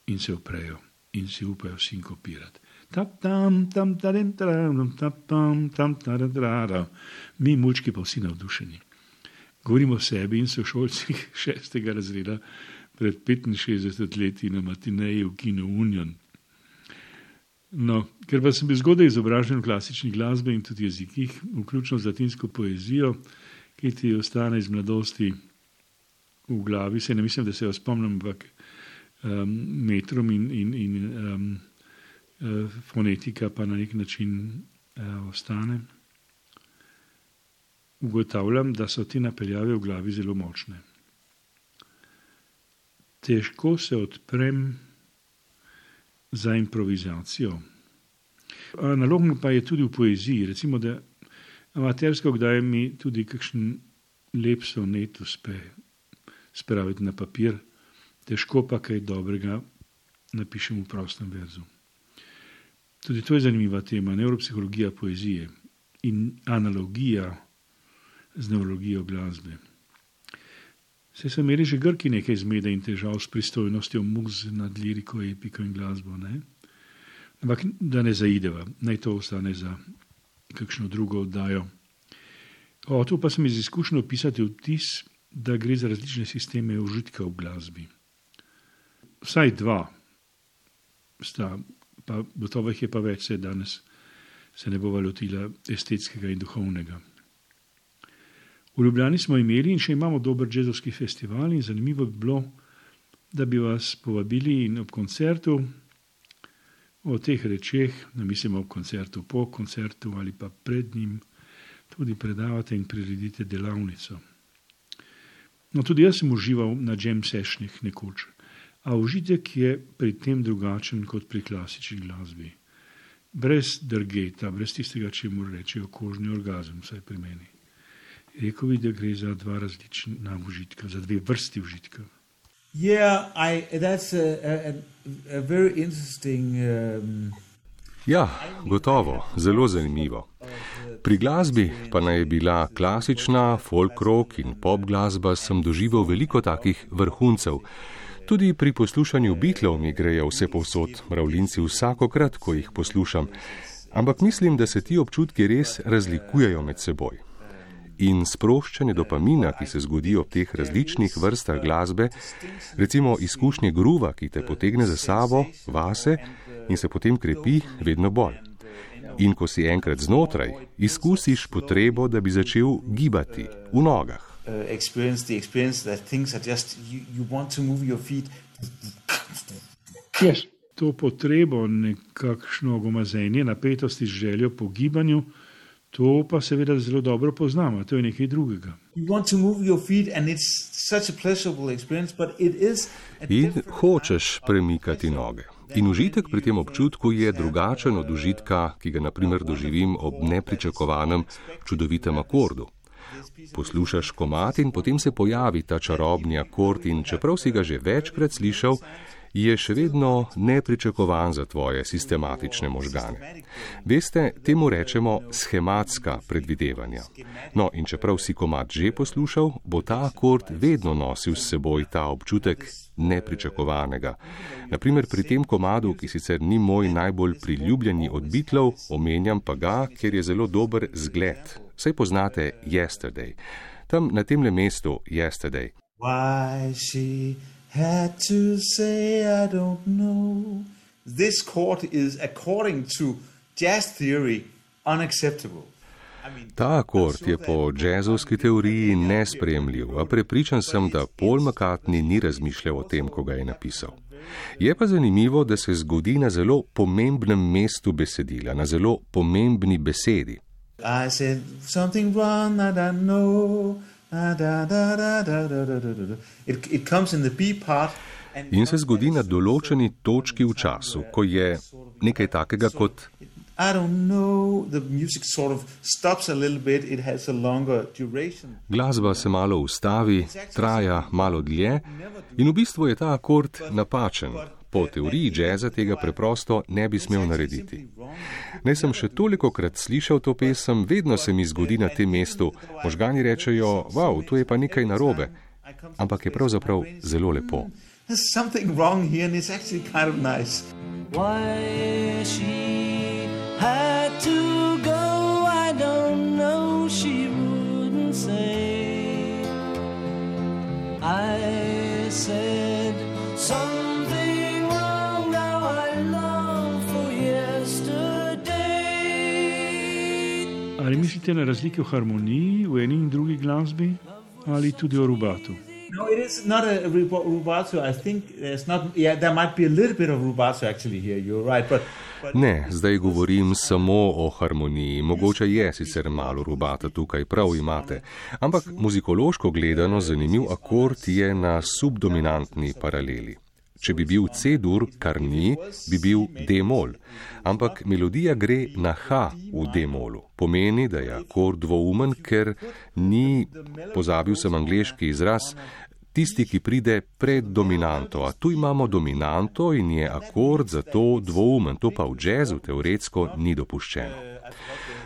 in se oprejo in si upajo sinkopirati. Tap, tam, tam, tam, tam, tam, tam, tam, mi mulčki pa vsi navdušeni. Govorimo o sebi in sošolcih šestega razreda pred petinšestdeset leti na matineji v kinu Union. No, ker pa sem bil zgodaj izobražen v klasični glasbi in tudi jezikih, vključno z latinsko poezijo, ki ti ostane iz mladosti v glavi, se ne mislim, da se jo spomnim, ampak um, metrom in, in, in um, uh, fonetika pa na nek način uh, ostane. Ugotavljam, da so te napeljave v glavi zelo močne. Težko se odprem za improvizacijo. Analogno pa je tudi v poeziji. Recimo, da amatersko kdaj mi tudi kakšen lep sonet uspe spraviti na papir, težko pa kaj dobrega napišem v prostem verzu. Tudi to je zanimiva tema, nevropsihologija poezije in analogija z neurologijo glasbe. Se so imeli že Grki nekaj zmede in težav s pristojnostjo muz nad liriko, epiko in glasbo, ne? Ampak da ne zaideva, naj to ostane za kakšno drugo oddajo. Hotel pa sem iz izkušnje opisati vtis, da gre za različne sisteme užitka v glasbi. Vsaj dva sta, pa gotovo jih je pa več, se danes se ne bova lotila estetskega in duhovnega. V Ljubljani smo imeli in še imamo dober džezovski festival in zanimivo bi bilo, da bi vas povabili in ob koncertu o teh rečeh, ne mislim ob koncertu, po koncertu ali pa pred njim, tudi predavate in priredite delavnico. No, tudi jaz sem užival na jam sessionih nekoč, a užitek je pri tem drugačen kot pri klasični glasbi. Brez drgeta, brez tistega, če mu rečejo kožni orgazem, vsaj pri meni. Rekel bi, da gre za dva različna užitka, za dve vrsti užitka. Yeah, I, that's a, a, a very interesting... Um... Ja, gotovo, zelo zanimivo. Pri glasbi pa naj je bila klasična, folk rock in pop glasba, sem doživel veliko takih vrhuncev. Tudi pri poslušanju Beatlov mi grejo vse povsod mravljinci vsakokrat, ko jih poslušam. Ampak mislim, da se ti občutki res razlikujejo med seboj. In sproščanje dopamina, ki se zgodi ob teh različnih vrstah glasbe, recimo izkušnje gruva, ki te potegne za sabo, vase in se potem krepi vedno bolj. In ko si enkrat znotraj, izkusiš potrebo, da bi začel gibati v nogah. Yes. To potrebo, nekakšno gomazenje, napetosti, željo po gibanju, to pa seveda zelo dobro poznamo, to je nekaj drugega. In hočeš premikati noge. In užitek pri tem občutku je drugačen od užitka, ki ga naprimer doživim ob nepričakovanem čudovitem akordu. Poslušaš komad in potem se pojavi ta čarobni akord in čeprav si ga že večkrat slišal, je še vedno nepričakovan za tvoje sistematične možgane. Veste, temu rečemo schematska predvidevanja. No, in čeprav si komad že poslušal, bo ta akord vedno nosil s seboj ta občutek nepričakovanega. Naprimer pri tem komadu, ki sicer ni moj najbolj priljubljeni od Beatlov, omenjam pa ga, ker je zelo dober zgled. Saj poznate Yesterday. Tam na temle mestu Yesterday. Why she had to say I don't know. This chord is, according to jazz theory, unacceptable. Ta akord je po džezovski teoriji nesprejemljiv, a prepričan sem, da Paul McCartney ni razmišljal o tem, ko ga je napisal. Je pa zanimivo, da se zgodi na zelo pomembnem mestu besedila, na zelo pomembni besedi. I said something wrong, I don't know. It, it comes in the B part. In se zgodi na določeni točki v času, ko je nekaj takega kot I don't know, the music sort of stops a little bit, it has a longer duration. Glasba se malo ustavi, traja malo dlje in v bistvu je ta akord napačen. po teoriji džeza tega preprosto ne bi smel narediti. Naj sem še tolikokrat slišal to pesem, vedno se mi zgodi na tem mestu. Možgani rečejo, wow, tu je pa nekaj narobe. Ampak je pravzaprav zelo lepo. There's something wrong here and it's actually kind of nice. Why she had to go, I don't know, she wouldn't say. I said something wrong, now I long for yesterday. Ali mislite na razlike v harmoniji v eni in drugi glasbi ali tudi o rubatu? No, it is not a rubato. I think there's not. Yeah, there might be a little bit of rubato actually here. You're right, but. but ne, zdaj govorim samo o harmoniji. Mogoče je sicer malo rubata tukaj, prav imate. Ampak muzikološko gledano zanimiv akord je na subdominantni paraleli. Če bi bil C-dur, kar ni, bi bil D-mol. Ampak melodija gre na H v D-molu. Pomeni, da je akord dvoumen, ker ni, pozabil sem angleški izraz, tisti, ki pride pred dominanto. A tu imamo dominanto in je akord zato dvoumen. To pa v džezu teoretsko ni dopuščeno.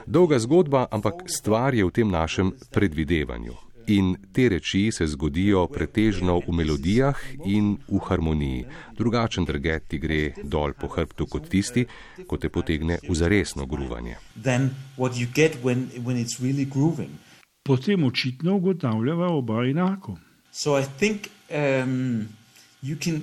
Dolga zgodba, ampak stvar je v tem našem predvidevanju. In te reči se zgodijo pretežno v melodijah in v harmoniji. Drugačen drget ti gre dol po hrbtu kot tisti, ko te potegne v zaresno gruvanje. Really Potem očitno ugotavljava oba enako. So I think um, you can,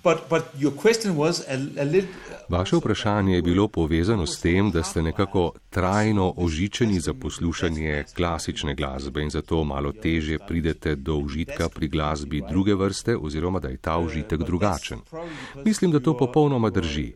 but, but your question was a, a little... Vaše vprašanje je bilo povezano s tem, da ste nekako trajno ožičeni za poslušanje klasične glasbe in zato malo težje pridete do užitka pri glasbi druge vrste oziroma da je ta užitek drugačen. Mislim, da to popolnoma drži.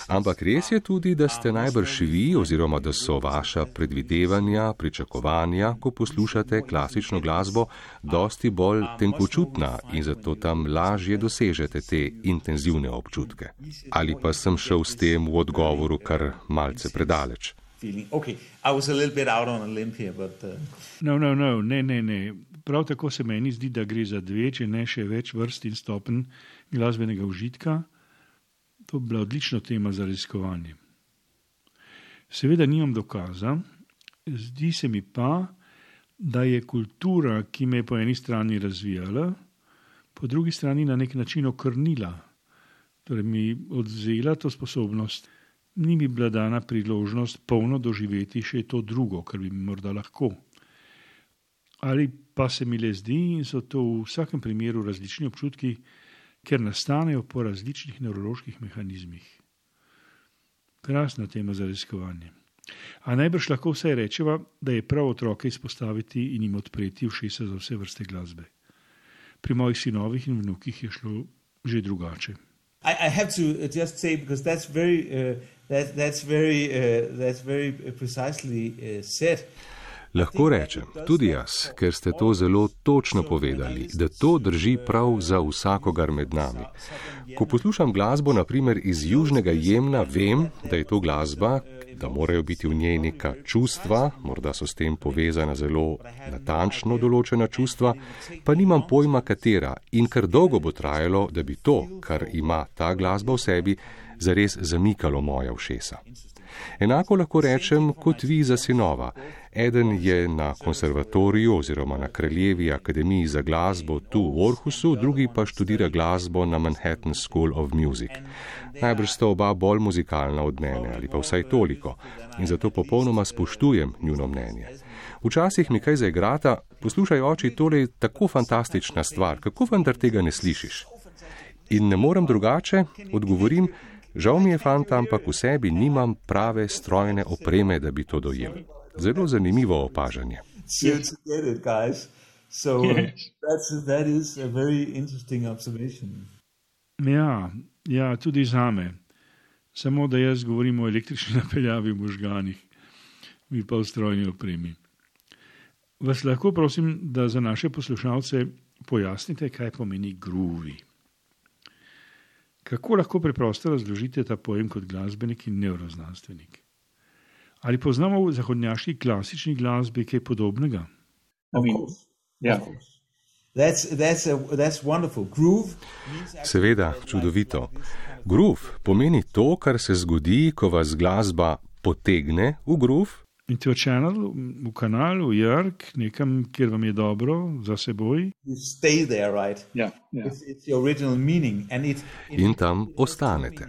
Ampak res je tudi, da ste najbrž vi oziroma da so vaša predvidevanja, pričakovanja, ko poslušate klasično glasbo, dosti bolj tenkočutna in zato tam lažje dosežete te intenzivne občutke. Ali pa sem šel s tem v odgovoru kar malce predaleč. Okay. I was a little bit out on a limb here, but uh... No, no, no, ne, ne, ne. Prav tako se meni zdi, da gre za dve, če ne še več vrst in stopenj glasbenega užitka. To bi bila odlična tema za raziskovanje. Seveda nimam dokaza, zdi se mi pa, da je kultura, ki me je po eni strani razvijala, po drugi strani na nek način okrnila. Torej mi odzela to sposobnost. Ni mi bila dana priložnost polno doživeti še to drugo, kar bi mi morda lahko. Ali pa se mi le zdi in so to v vsakem primeru različni občutki, ker nastanejo po različnih nevroloških mehanizmih. Krasna tema za raziskovanje. A najbrž lahko vsaj rečeva, da je prav otroke izpostaviti in jim odpreti ušesa za vse vrste glasbe. Pri mojih sinovih in vnukih je šlo že drugače. I, I have to just say, because that's very, uh, that, that's very, uh, that's very precisely uh, said. Lahko rečem, tudi jaz, ker ste to zelo točno povedali, da to drži prav za vsakogar med nami. Ko poslušam glasbo, na primer iz Južnega Jemna, vem, da je to glasba, da morajo biti v njej neka čustva, morda so s tem povezana zelo natančno določena čustva, pa nimam pojma katera in kar dolgo bo trajalo, da bi to, kar ima ta glasba v sebi, zares zamikalo moja ušesa. Enako lahko rečem kot vi za sinova. Eden je na konservatoriju oziroma na Kraljevi akademiji za glasbo tu v Orhusu, drugi pa študira glasbo na Manhattan School of Music. Najbrž sta oba bolj muzikalna od mene ali pa vsaj toliko in zato popolnoma spoštujem njuno mnenje. Včasih mi kaj zaigrata, poslušaj oči, tole je tako fantastična stvar, kako vendar tega ne slišiš? In ne morem drugače, odgovorim, žal mi je fanta, ampak v sebi nimam prave strojne opreme, da bi to dojel. Zelo zanimivo opažanje. Ja, ja, tudi zame. Samo da jaz govorim o električni napeljavi v možganih, vi pa o strojni opremi. Vas lahko prosim, da za naše poslušalce pojasnite, kaj pomeni groovy. Kako lahko preprosto razložite ta pojem kot glasbenik in nevroznanstvenik? Ali poznamo v zahodnjaški klasični glasbi kaj podobnega? I mean, yeah. That's, that's a, that's wonderful. Groove. Seveda, čudovito. Groove pomeni to, kar se zgodi, ko vas glasba potegne v groove. Into a channel, v kanalu, v jark, nekam, kjer vam je dobro za seboj. You stay there, right? Yeah, yeah. It's, it's the original meaning. And it, it, In tam ostanete.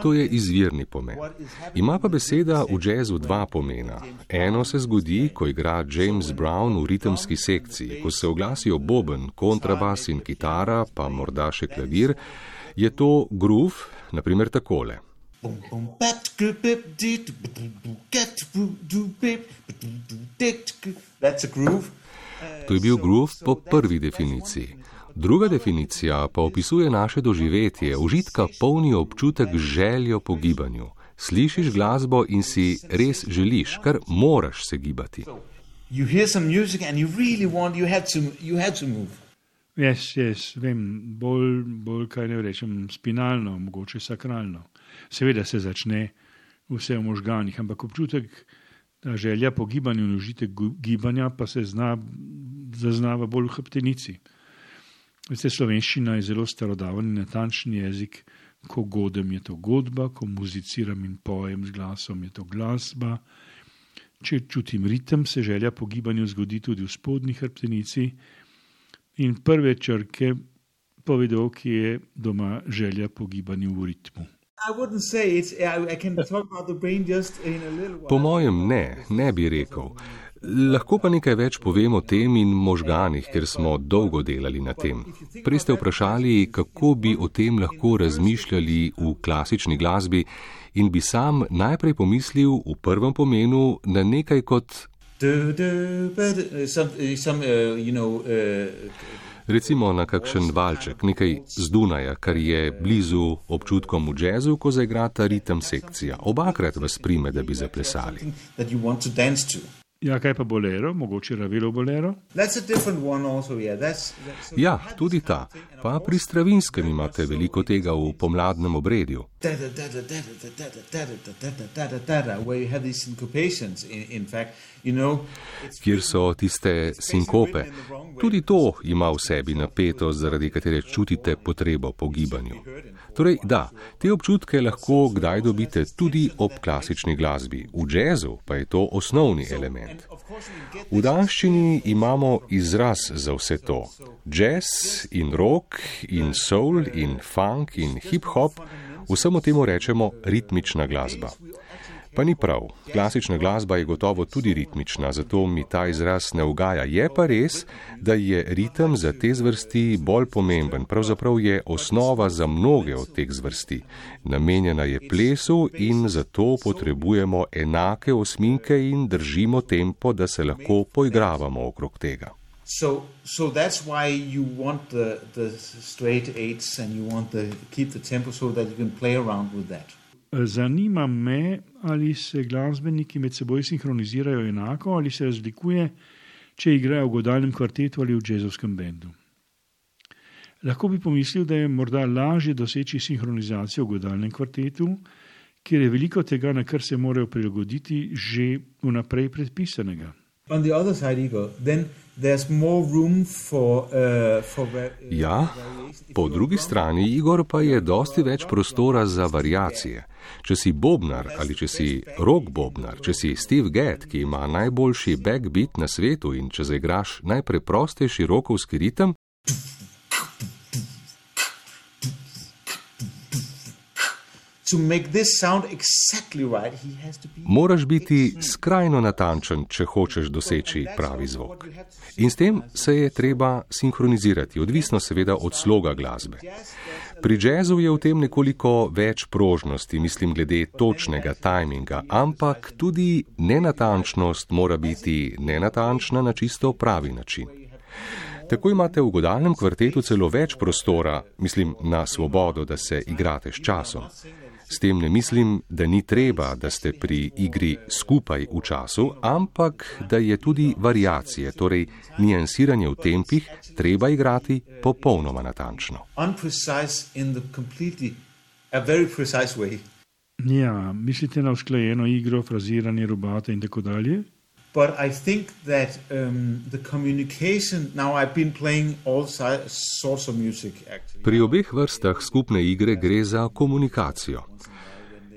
To je izvirni pomen. Ima pa beseda v jazzu dva pomena. Eno se zgodi, ko igra James Brown v ritemski sekciji, ko se oglasijo boben, kontrabas in kitara, pa morda še klavir, je to groove, naprimer takole. That's a groove. To je bil groove po prvi definiciji. Druga definicija pa opisuje naše doživetje, užitka polni občutek z željo po gibanju. Slišiš glasbo in si res želiš, kar moraš se gibati. You hear some music and you really want, you had to, you had to move. Yes, yes, vem, bolj, bolj kaj ne rečem, spinalno, mogoče sakralno. Seveda se začne vse v možganih, ampak občutek, da želja po gibanju in užitek gibanja pa se zna, zaznava bolj v hrbtenici. Veste, slovenščina je zelo starodaven in natančen jezik, ko godem je to godba, ko muziciram in pojem z glasom je to glasba. Če čutim ritem, se želja po gibanju zgodi tudi v spodnji hrbtenici in prve črke povedo, ki je doma želja po gibanju v ritmu. Po mojem ne, ne bi rekel. Lahko pa nekaj več povem o tem in možganih, ker smo dolgo delali na tem. Prej ste vprašali, kako bi o tem lahko razmišljali v klasični glasbi in bi sam najprej pomislil v prvem pomenu na nekaj kot recimo na kakšen valček, nekaj z Dunaja, kar je blizu občutkom v jazzu, ko zaigrata ritem sekcija. Obakrat vas prime, da bi zaplesali. Ja, kaj pa bolero? Mogoče Ravelo bolero? Also, yeah. that's, that's ja, tudi ta. Pa pri Stravinskem imate veliko tega v pomladnem obredju. Kjer so tiste sinkope. Tudi to ima v sebi napetost, zaradi katere čutite potrebo po gibanju. Torej, da, te občutke lahko kdaj dobite tudi ob klasični glasbi. V jazzu pa je to osnovni element. V danščini imamo izraz za vse to. Jazz in rock in soul in funk in hip-hop, vsemu temu rečemo ritmična glasba. Pa ni prav, klasična glasba je gotovo tudi ritmična, zato mi ta izraz ne ugaja. Je pa res, da je ritem za te zvrsti bolj pomemben, pravzaprav je osnova za mnoge od teh zvrsti. Namenjena je plesu in zato potrebujemo enake osminke in držimo tempo, da se lahko poigravamo okrog tega. So, so that's why you want the, the straight eights and you want to keep the tempo so that you can play around with that. Zanima me, ali se glasbeniki med seboj sinhronizirajo enako ali se razlikuje, če igrajo v godalnem kvartetu ali v džezovskem bendu. Lahko bi pomislil, da je morda lažje doseči sinhronizacijo v godalnem kvartetu, kjer je veliko tega, na kar se morajo prilagoditi, že vnaprej predpisanega. On the other side, Igor, then there's more room for, uh, for ja, po drugi strani, Igor, pa je dosti več prostora za variacije. Če si bobnar ali če si rock bobnar, če si Steve Gadd, ki ima najboljši backbeat na svetu in če zaigraš najpreprostejši rockovski ritem, To make this sound exactly right, he has to be... moraš biti skrajno natančen, če hočeš doseči pravi zvok. In s tem se je treba sinhronizirati, odvisno seveda od sloga glasbe. Pri jazzu je v tem nekoliko več prožnosti, mislim glede točnega tajminga, ampak tudi nenatančnost mora biti nenatančna na čisto pravi način. Tako imate v godalnem kvartetu celo več prostora, mislim na svobodo, da se igrate s časom. S tem ne mislim, da ni treba, da ste pri igri skupaj v času, ampak da je tudi variacije, torej niansiranje v tempih, treba igrati popolnoma natančno. Ja, mislite na usklajeno igro, fraziranje, rubate in tako dalje? But I think that um, the communication, now I've been playing all si- sorts of music actually. Pri obeh vrstah skupne igre gre za komunikacijo.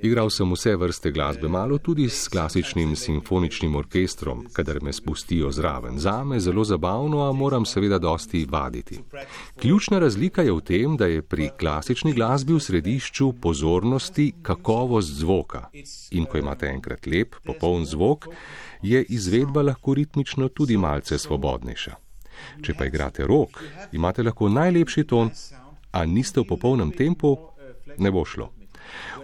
Igral sem vse vrste glasbe, malo tudi s klasičnim simfoničnim orkestrom, kadar me spustijo zraven. Zame zelo zabavno, a moram seveda dosti vaditi. Ključna razlika je v tem, da je pri klasični glasbi v središču pozornosti kakovost zvoka. In ko imate enkrat lep, popoln zvok, je izvedba lahko ritmično tudi malce svobodnejša. Če pa igrate rock, imate lahko najlepši ton, a niste v popolnem tempu, ne bo šlo.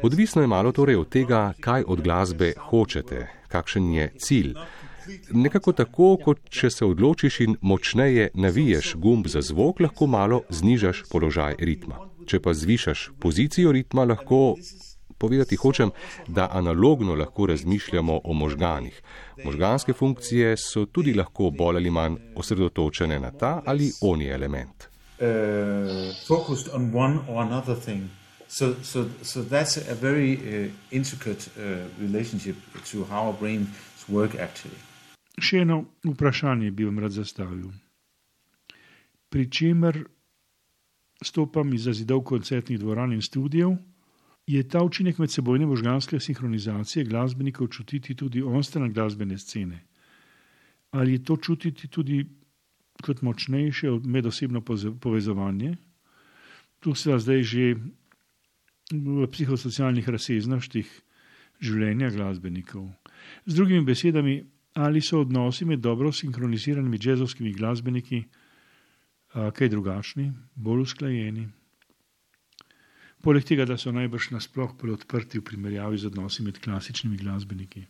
Odvisno je malo torej od tega, kaj od glasbe hočete, kakšen je cilj. Nekako tako, kot če se odločiš in močneje naviješ gumb za zvok, lahko malo znižaš položaj ritma. Če pa zvišaš pozicijo ritma, lahko povedati hočem, da analogno lahko razmišljamo o možganih. Možganske funkcije so tudi lahko bolj ali manj osredotočene na ta ali oni element. Uh, focused on one or another thing. So, so, so that's a very uh, intricate uh, relationship to how our brains work actually. Še eno vprašanje bi vam rad zastavil. Pri čemer stopam iz zidov koncertnih dvoran in studijev, je ta učinek medsebojne možganske sinhronizacije glasbenikov čutiti tudi onstran glasbene scene? Ali je to čutiti tudi kot močnejše medosebno povezovanje? Tu se zdaj že v psihosocialnih razsežnostih življenja glasbenikov. Z drugimi besedami, ali so odnosi med dobro sinhroniziranimi džezovskimi glasbeniki a, kaj drugačni, bolj usklajeni? Poleg tega, da so najbrž nasploh bolj odprti v primerjavi z odnosi med klasičnimi glasbeniki.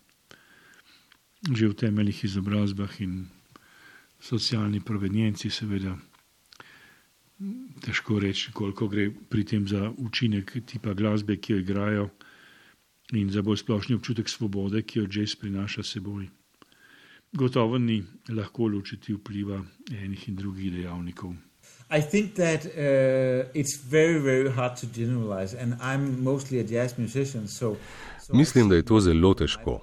Že v temeljih izobrazbah in socialni provenienci seveda težko reči, koliko gre pri tem za učinek tipa glasbe, ki jo igrajo, in za bolj splošni občutek svobode, ki jo jazz prinaša seboj. Gotovo ni lahko ločiti vpliva enih in drugih dejavnikov. I think that uh, it's very, very hard to generalize, and I'm mostly a jazz musician, so... so Mislim, da je to zelo težko.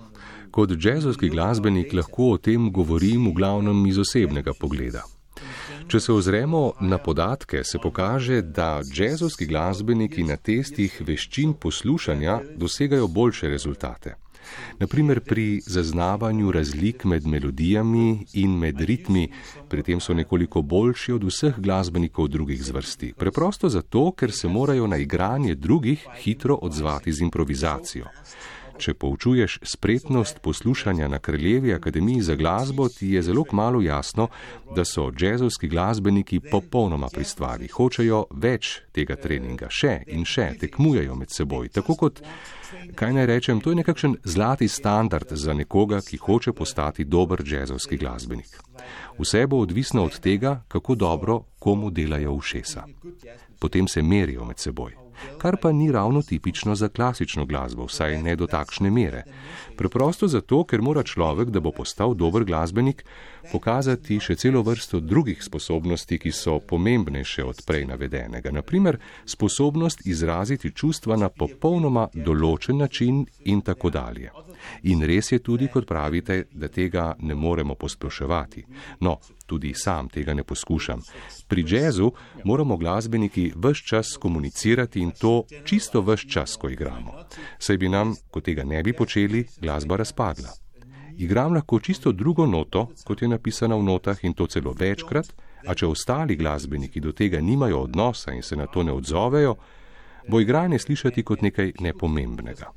Kot džezovski glasbenik lahko o tem govorim v glavnem iz osebnega pogleda. Če se ozremo na podatke, se pokaže, da džezovski glasbeniki na testih veščin poslušanja dosegajo boljše rezultate. Naprimer pri zaznavanju razlik med melodijami in med ritmi, pri tem so nekoliko boljši od vseh glasbenikov drugih zvrsti. Preprosto zato, ker se morajo na igranje drugih hitro odzvati z improvizacijo. Če poučuješ spretnost poslušanja na Kraljevi akademiji za glasbo, ti je zelo kmalu jasno, da so džezovski glasbeniki popolnoma pri stvari. Hočejo več tega treninga, še in še, tekmujejo med seboj. Tako kot, kaj naj rečem, to je nekakšen zlati standard za nekoga, ki hoče postati dober džezovski glasbenik. Vse bo odvisno od tega, kako dobro komu delajo ušesa. Potem se merijo med seboj. Kar pa ni ravno tipično za klasično glasbo, vsaj ne do takšne mere. Preprosto zato, ker mora človek, da bo postal dober glasbenik, pokazati še celo vrsto drugih sposobnosti, ki so pomembnejše od prej navedenega. Naprimer, sposobnost izraziti čustva na popolnoma določen način in tako dalje. In res je tudi, kot pravite, da tega ne moremo posploševati. No, tudi sam tega ne poskušam. Pri džezu moramo glasbeniki ves čas komunicirati in to čisto ves čas, ko igramo. Saj bi nam, ko tega ne bi počeli, glasba razpadla. Igram lahko čisto drugo noto, kot je napisana v notah in to celo večkrat, a če ostali glasbeniki do tega nimajo odnosa in se na to ne odzovejo, bo igranje slišati kot nekaj nepomembnega.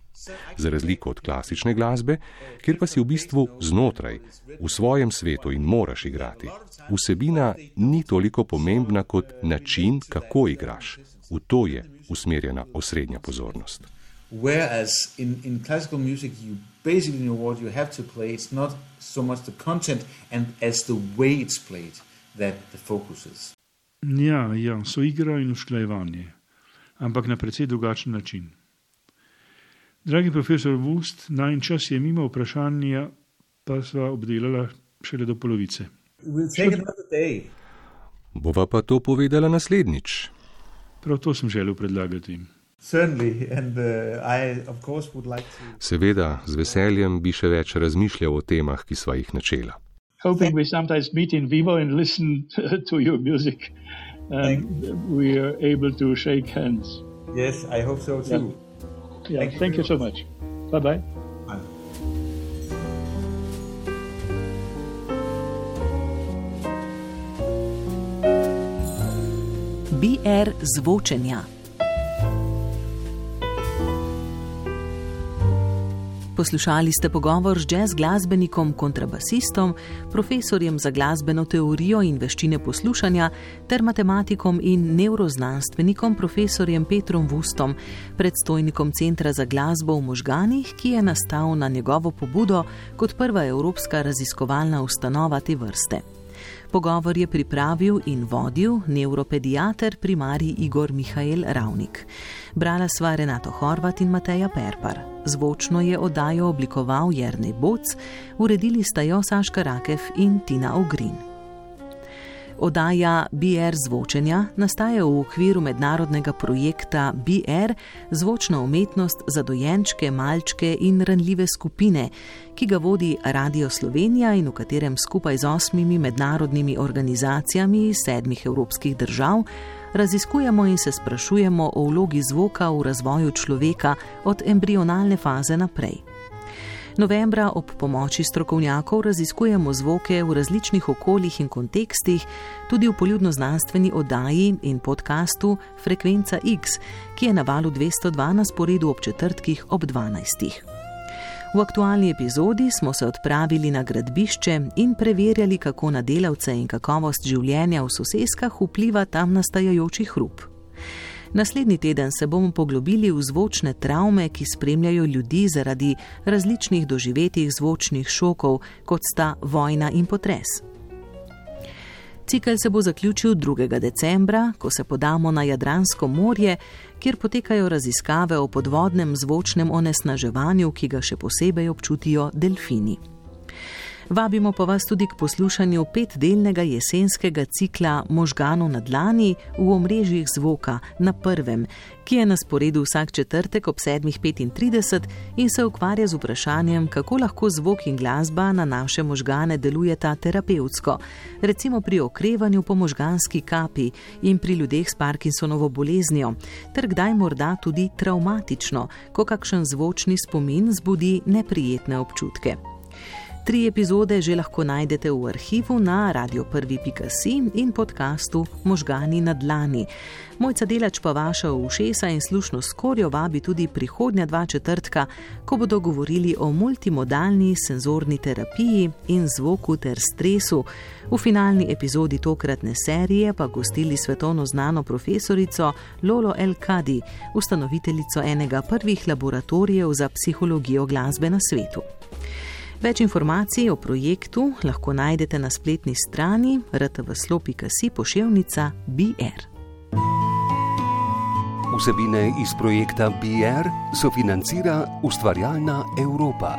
Za razliko od klasične glasbe, kjer pa si v bistvu znotraj, v svojem svetu in moraš igrati. Vsebina ni toliko pomembna kot način, kako igraš. V to je usmerjena osrednja pozornost. Whereas in, in classical music you basically know what you have to play, it's not so much the content and as the way it's played that the focus is. Ja, ja, so igra in usklajevanje, ampak na precej drugačen način. Dragi profesor Wust, najin čas je mimo, vprašanja pa sva obdelala šele do polovice. We'll take another day. Bova pa to povedala naslednjič. Prav to sem želel predlagati. Seveda, z veseljem bi še več razmišljal o temah, ki sva jih načela. Hoping we sometimes meet in vivo and listen to your music. And we are able to shake hands. Yes, I hope so too. Yeah, yeah, thank you so much. Bye-bye. Bye. B R zvočenja. Poslušali ste pogovor z jazz glasbenikom, kontrabasistom, profesorjem za glasbeno teorijo in veščine poslušanja ter matematikom in nevroznanstvenikom profesorjem Petrom Wustom, predstojnikom Centra za glasbo v možganih, ki je nastal na njegovo pobudo kot prva evropska raziskovalna ustanova te vrste. Pogovor je pripravil in vodil nevropediater primarij Igor Mihael Ravnik. Brala sva Renato Horvat in Mateja Perpar. Zvočno je oddajo oblikoval Jernej Boc, uredili sta jo Saška Rakev in Tina Ogrin. Oddaja B R zvočenja nastaja v okviru mednarodnega projekta B R Zvočna umetnost za dojenčke, malčke in ranljive skupine, ki ga vodi Radio Slovenija in v katerem skupaj z osmimi mednarodnimi organizacijami iz sedmih evropskih držav raziskujemo in se sprašujemo o vlogi zvoka v razvoju človeka od embrionalne faze naprej. Novembra ob pomoči strokovnjakov raziskujemo zvoke v različnih okoljih in kontekstih, tudi v poljudnoznanstveni oddaji in podcastu Frekvenca X, ki je na valu dvesto dva na sporedu ob četrtkih ob dvanajstih. V aktualni epizodi smo se odpravili na gradbišče in preverjali, kako na delavce in kakovost življenja v soseskah vpliva tam nastajajoči hrup. Naslednji teden se bomo poglobili v zvočne travme, ki spremljajo ljudi zaradi različnih doživetih zvočnih šokov, kot sta vojna in potres. Cikel se bo zaključil drugega decembra, ko se podamo na Jadransko morje, kjer potekajo raziskave o podvodnem zvočnem onesnaževanju, ki ga še posebej občutijo delfini. Vabimo pa vas tudi k poslušanju petdelnega jesenskega cikla Možganov na dlani v omrežjih zvoka na prvem, ki je na sporedu vsak četrtek ob sedmih petintrideset in se ukvarja z vprašanjem, kako lahko zvok in glasba na naše možgane delujeta terapevtsko, recimo pri okrevanju po možganski kapi in pri ljudeh s Parkinsonovo boleznijo, ter kdaj morda tudi travmatično, ko kakšen zvočni spomin zbudi neprijetne občutke. Tri epizode že lahko najdete v arhivu na radio prvi pika si in podcastu Možgani na dlani. Mojca Delač pa vaša ušesa in slušno skorjo vabi tudi prihodnja dva četrtka, ko bodo govorili o multimodalni senzorni terapiji in zvoku ter stresu. V finalni epizodi tokratne serije pa gostili svetovno znano profesorico Lolo El Kadi, ustanoviteljico enega prvih laboratorijev za psihologijo glasbe na svetu. Več informacij o projektu lahko najdete na spletni strani r t v slo pika si poševnica B R. Vsebine iz projekta B R sofinancira Ustvarjalna Evropa.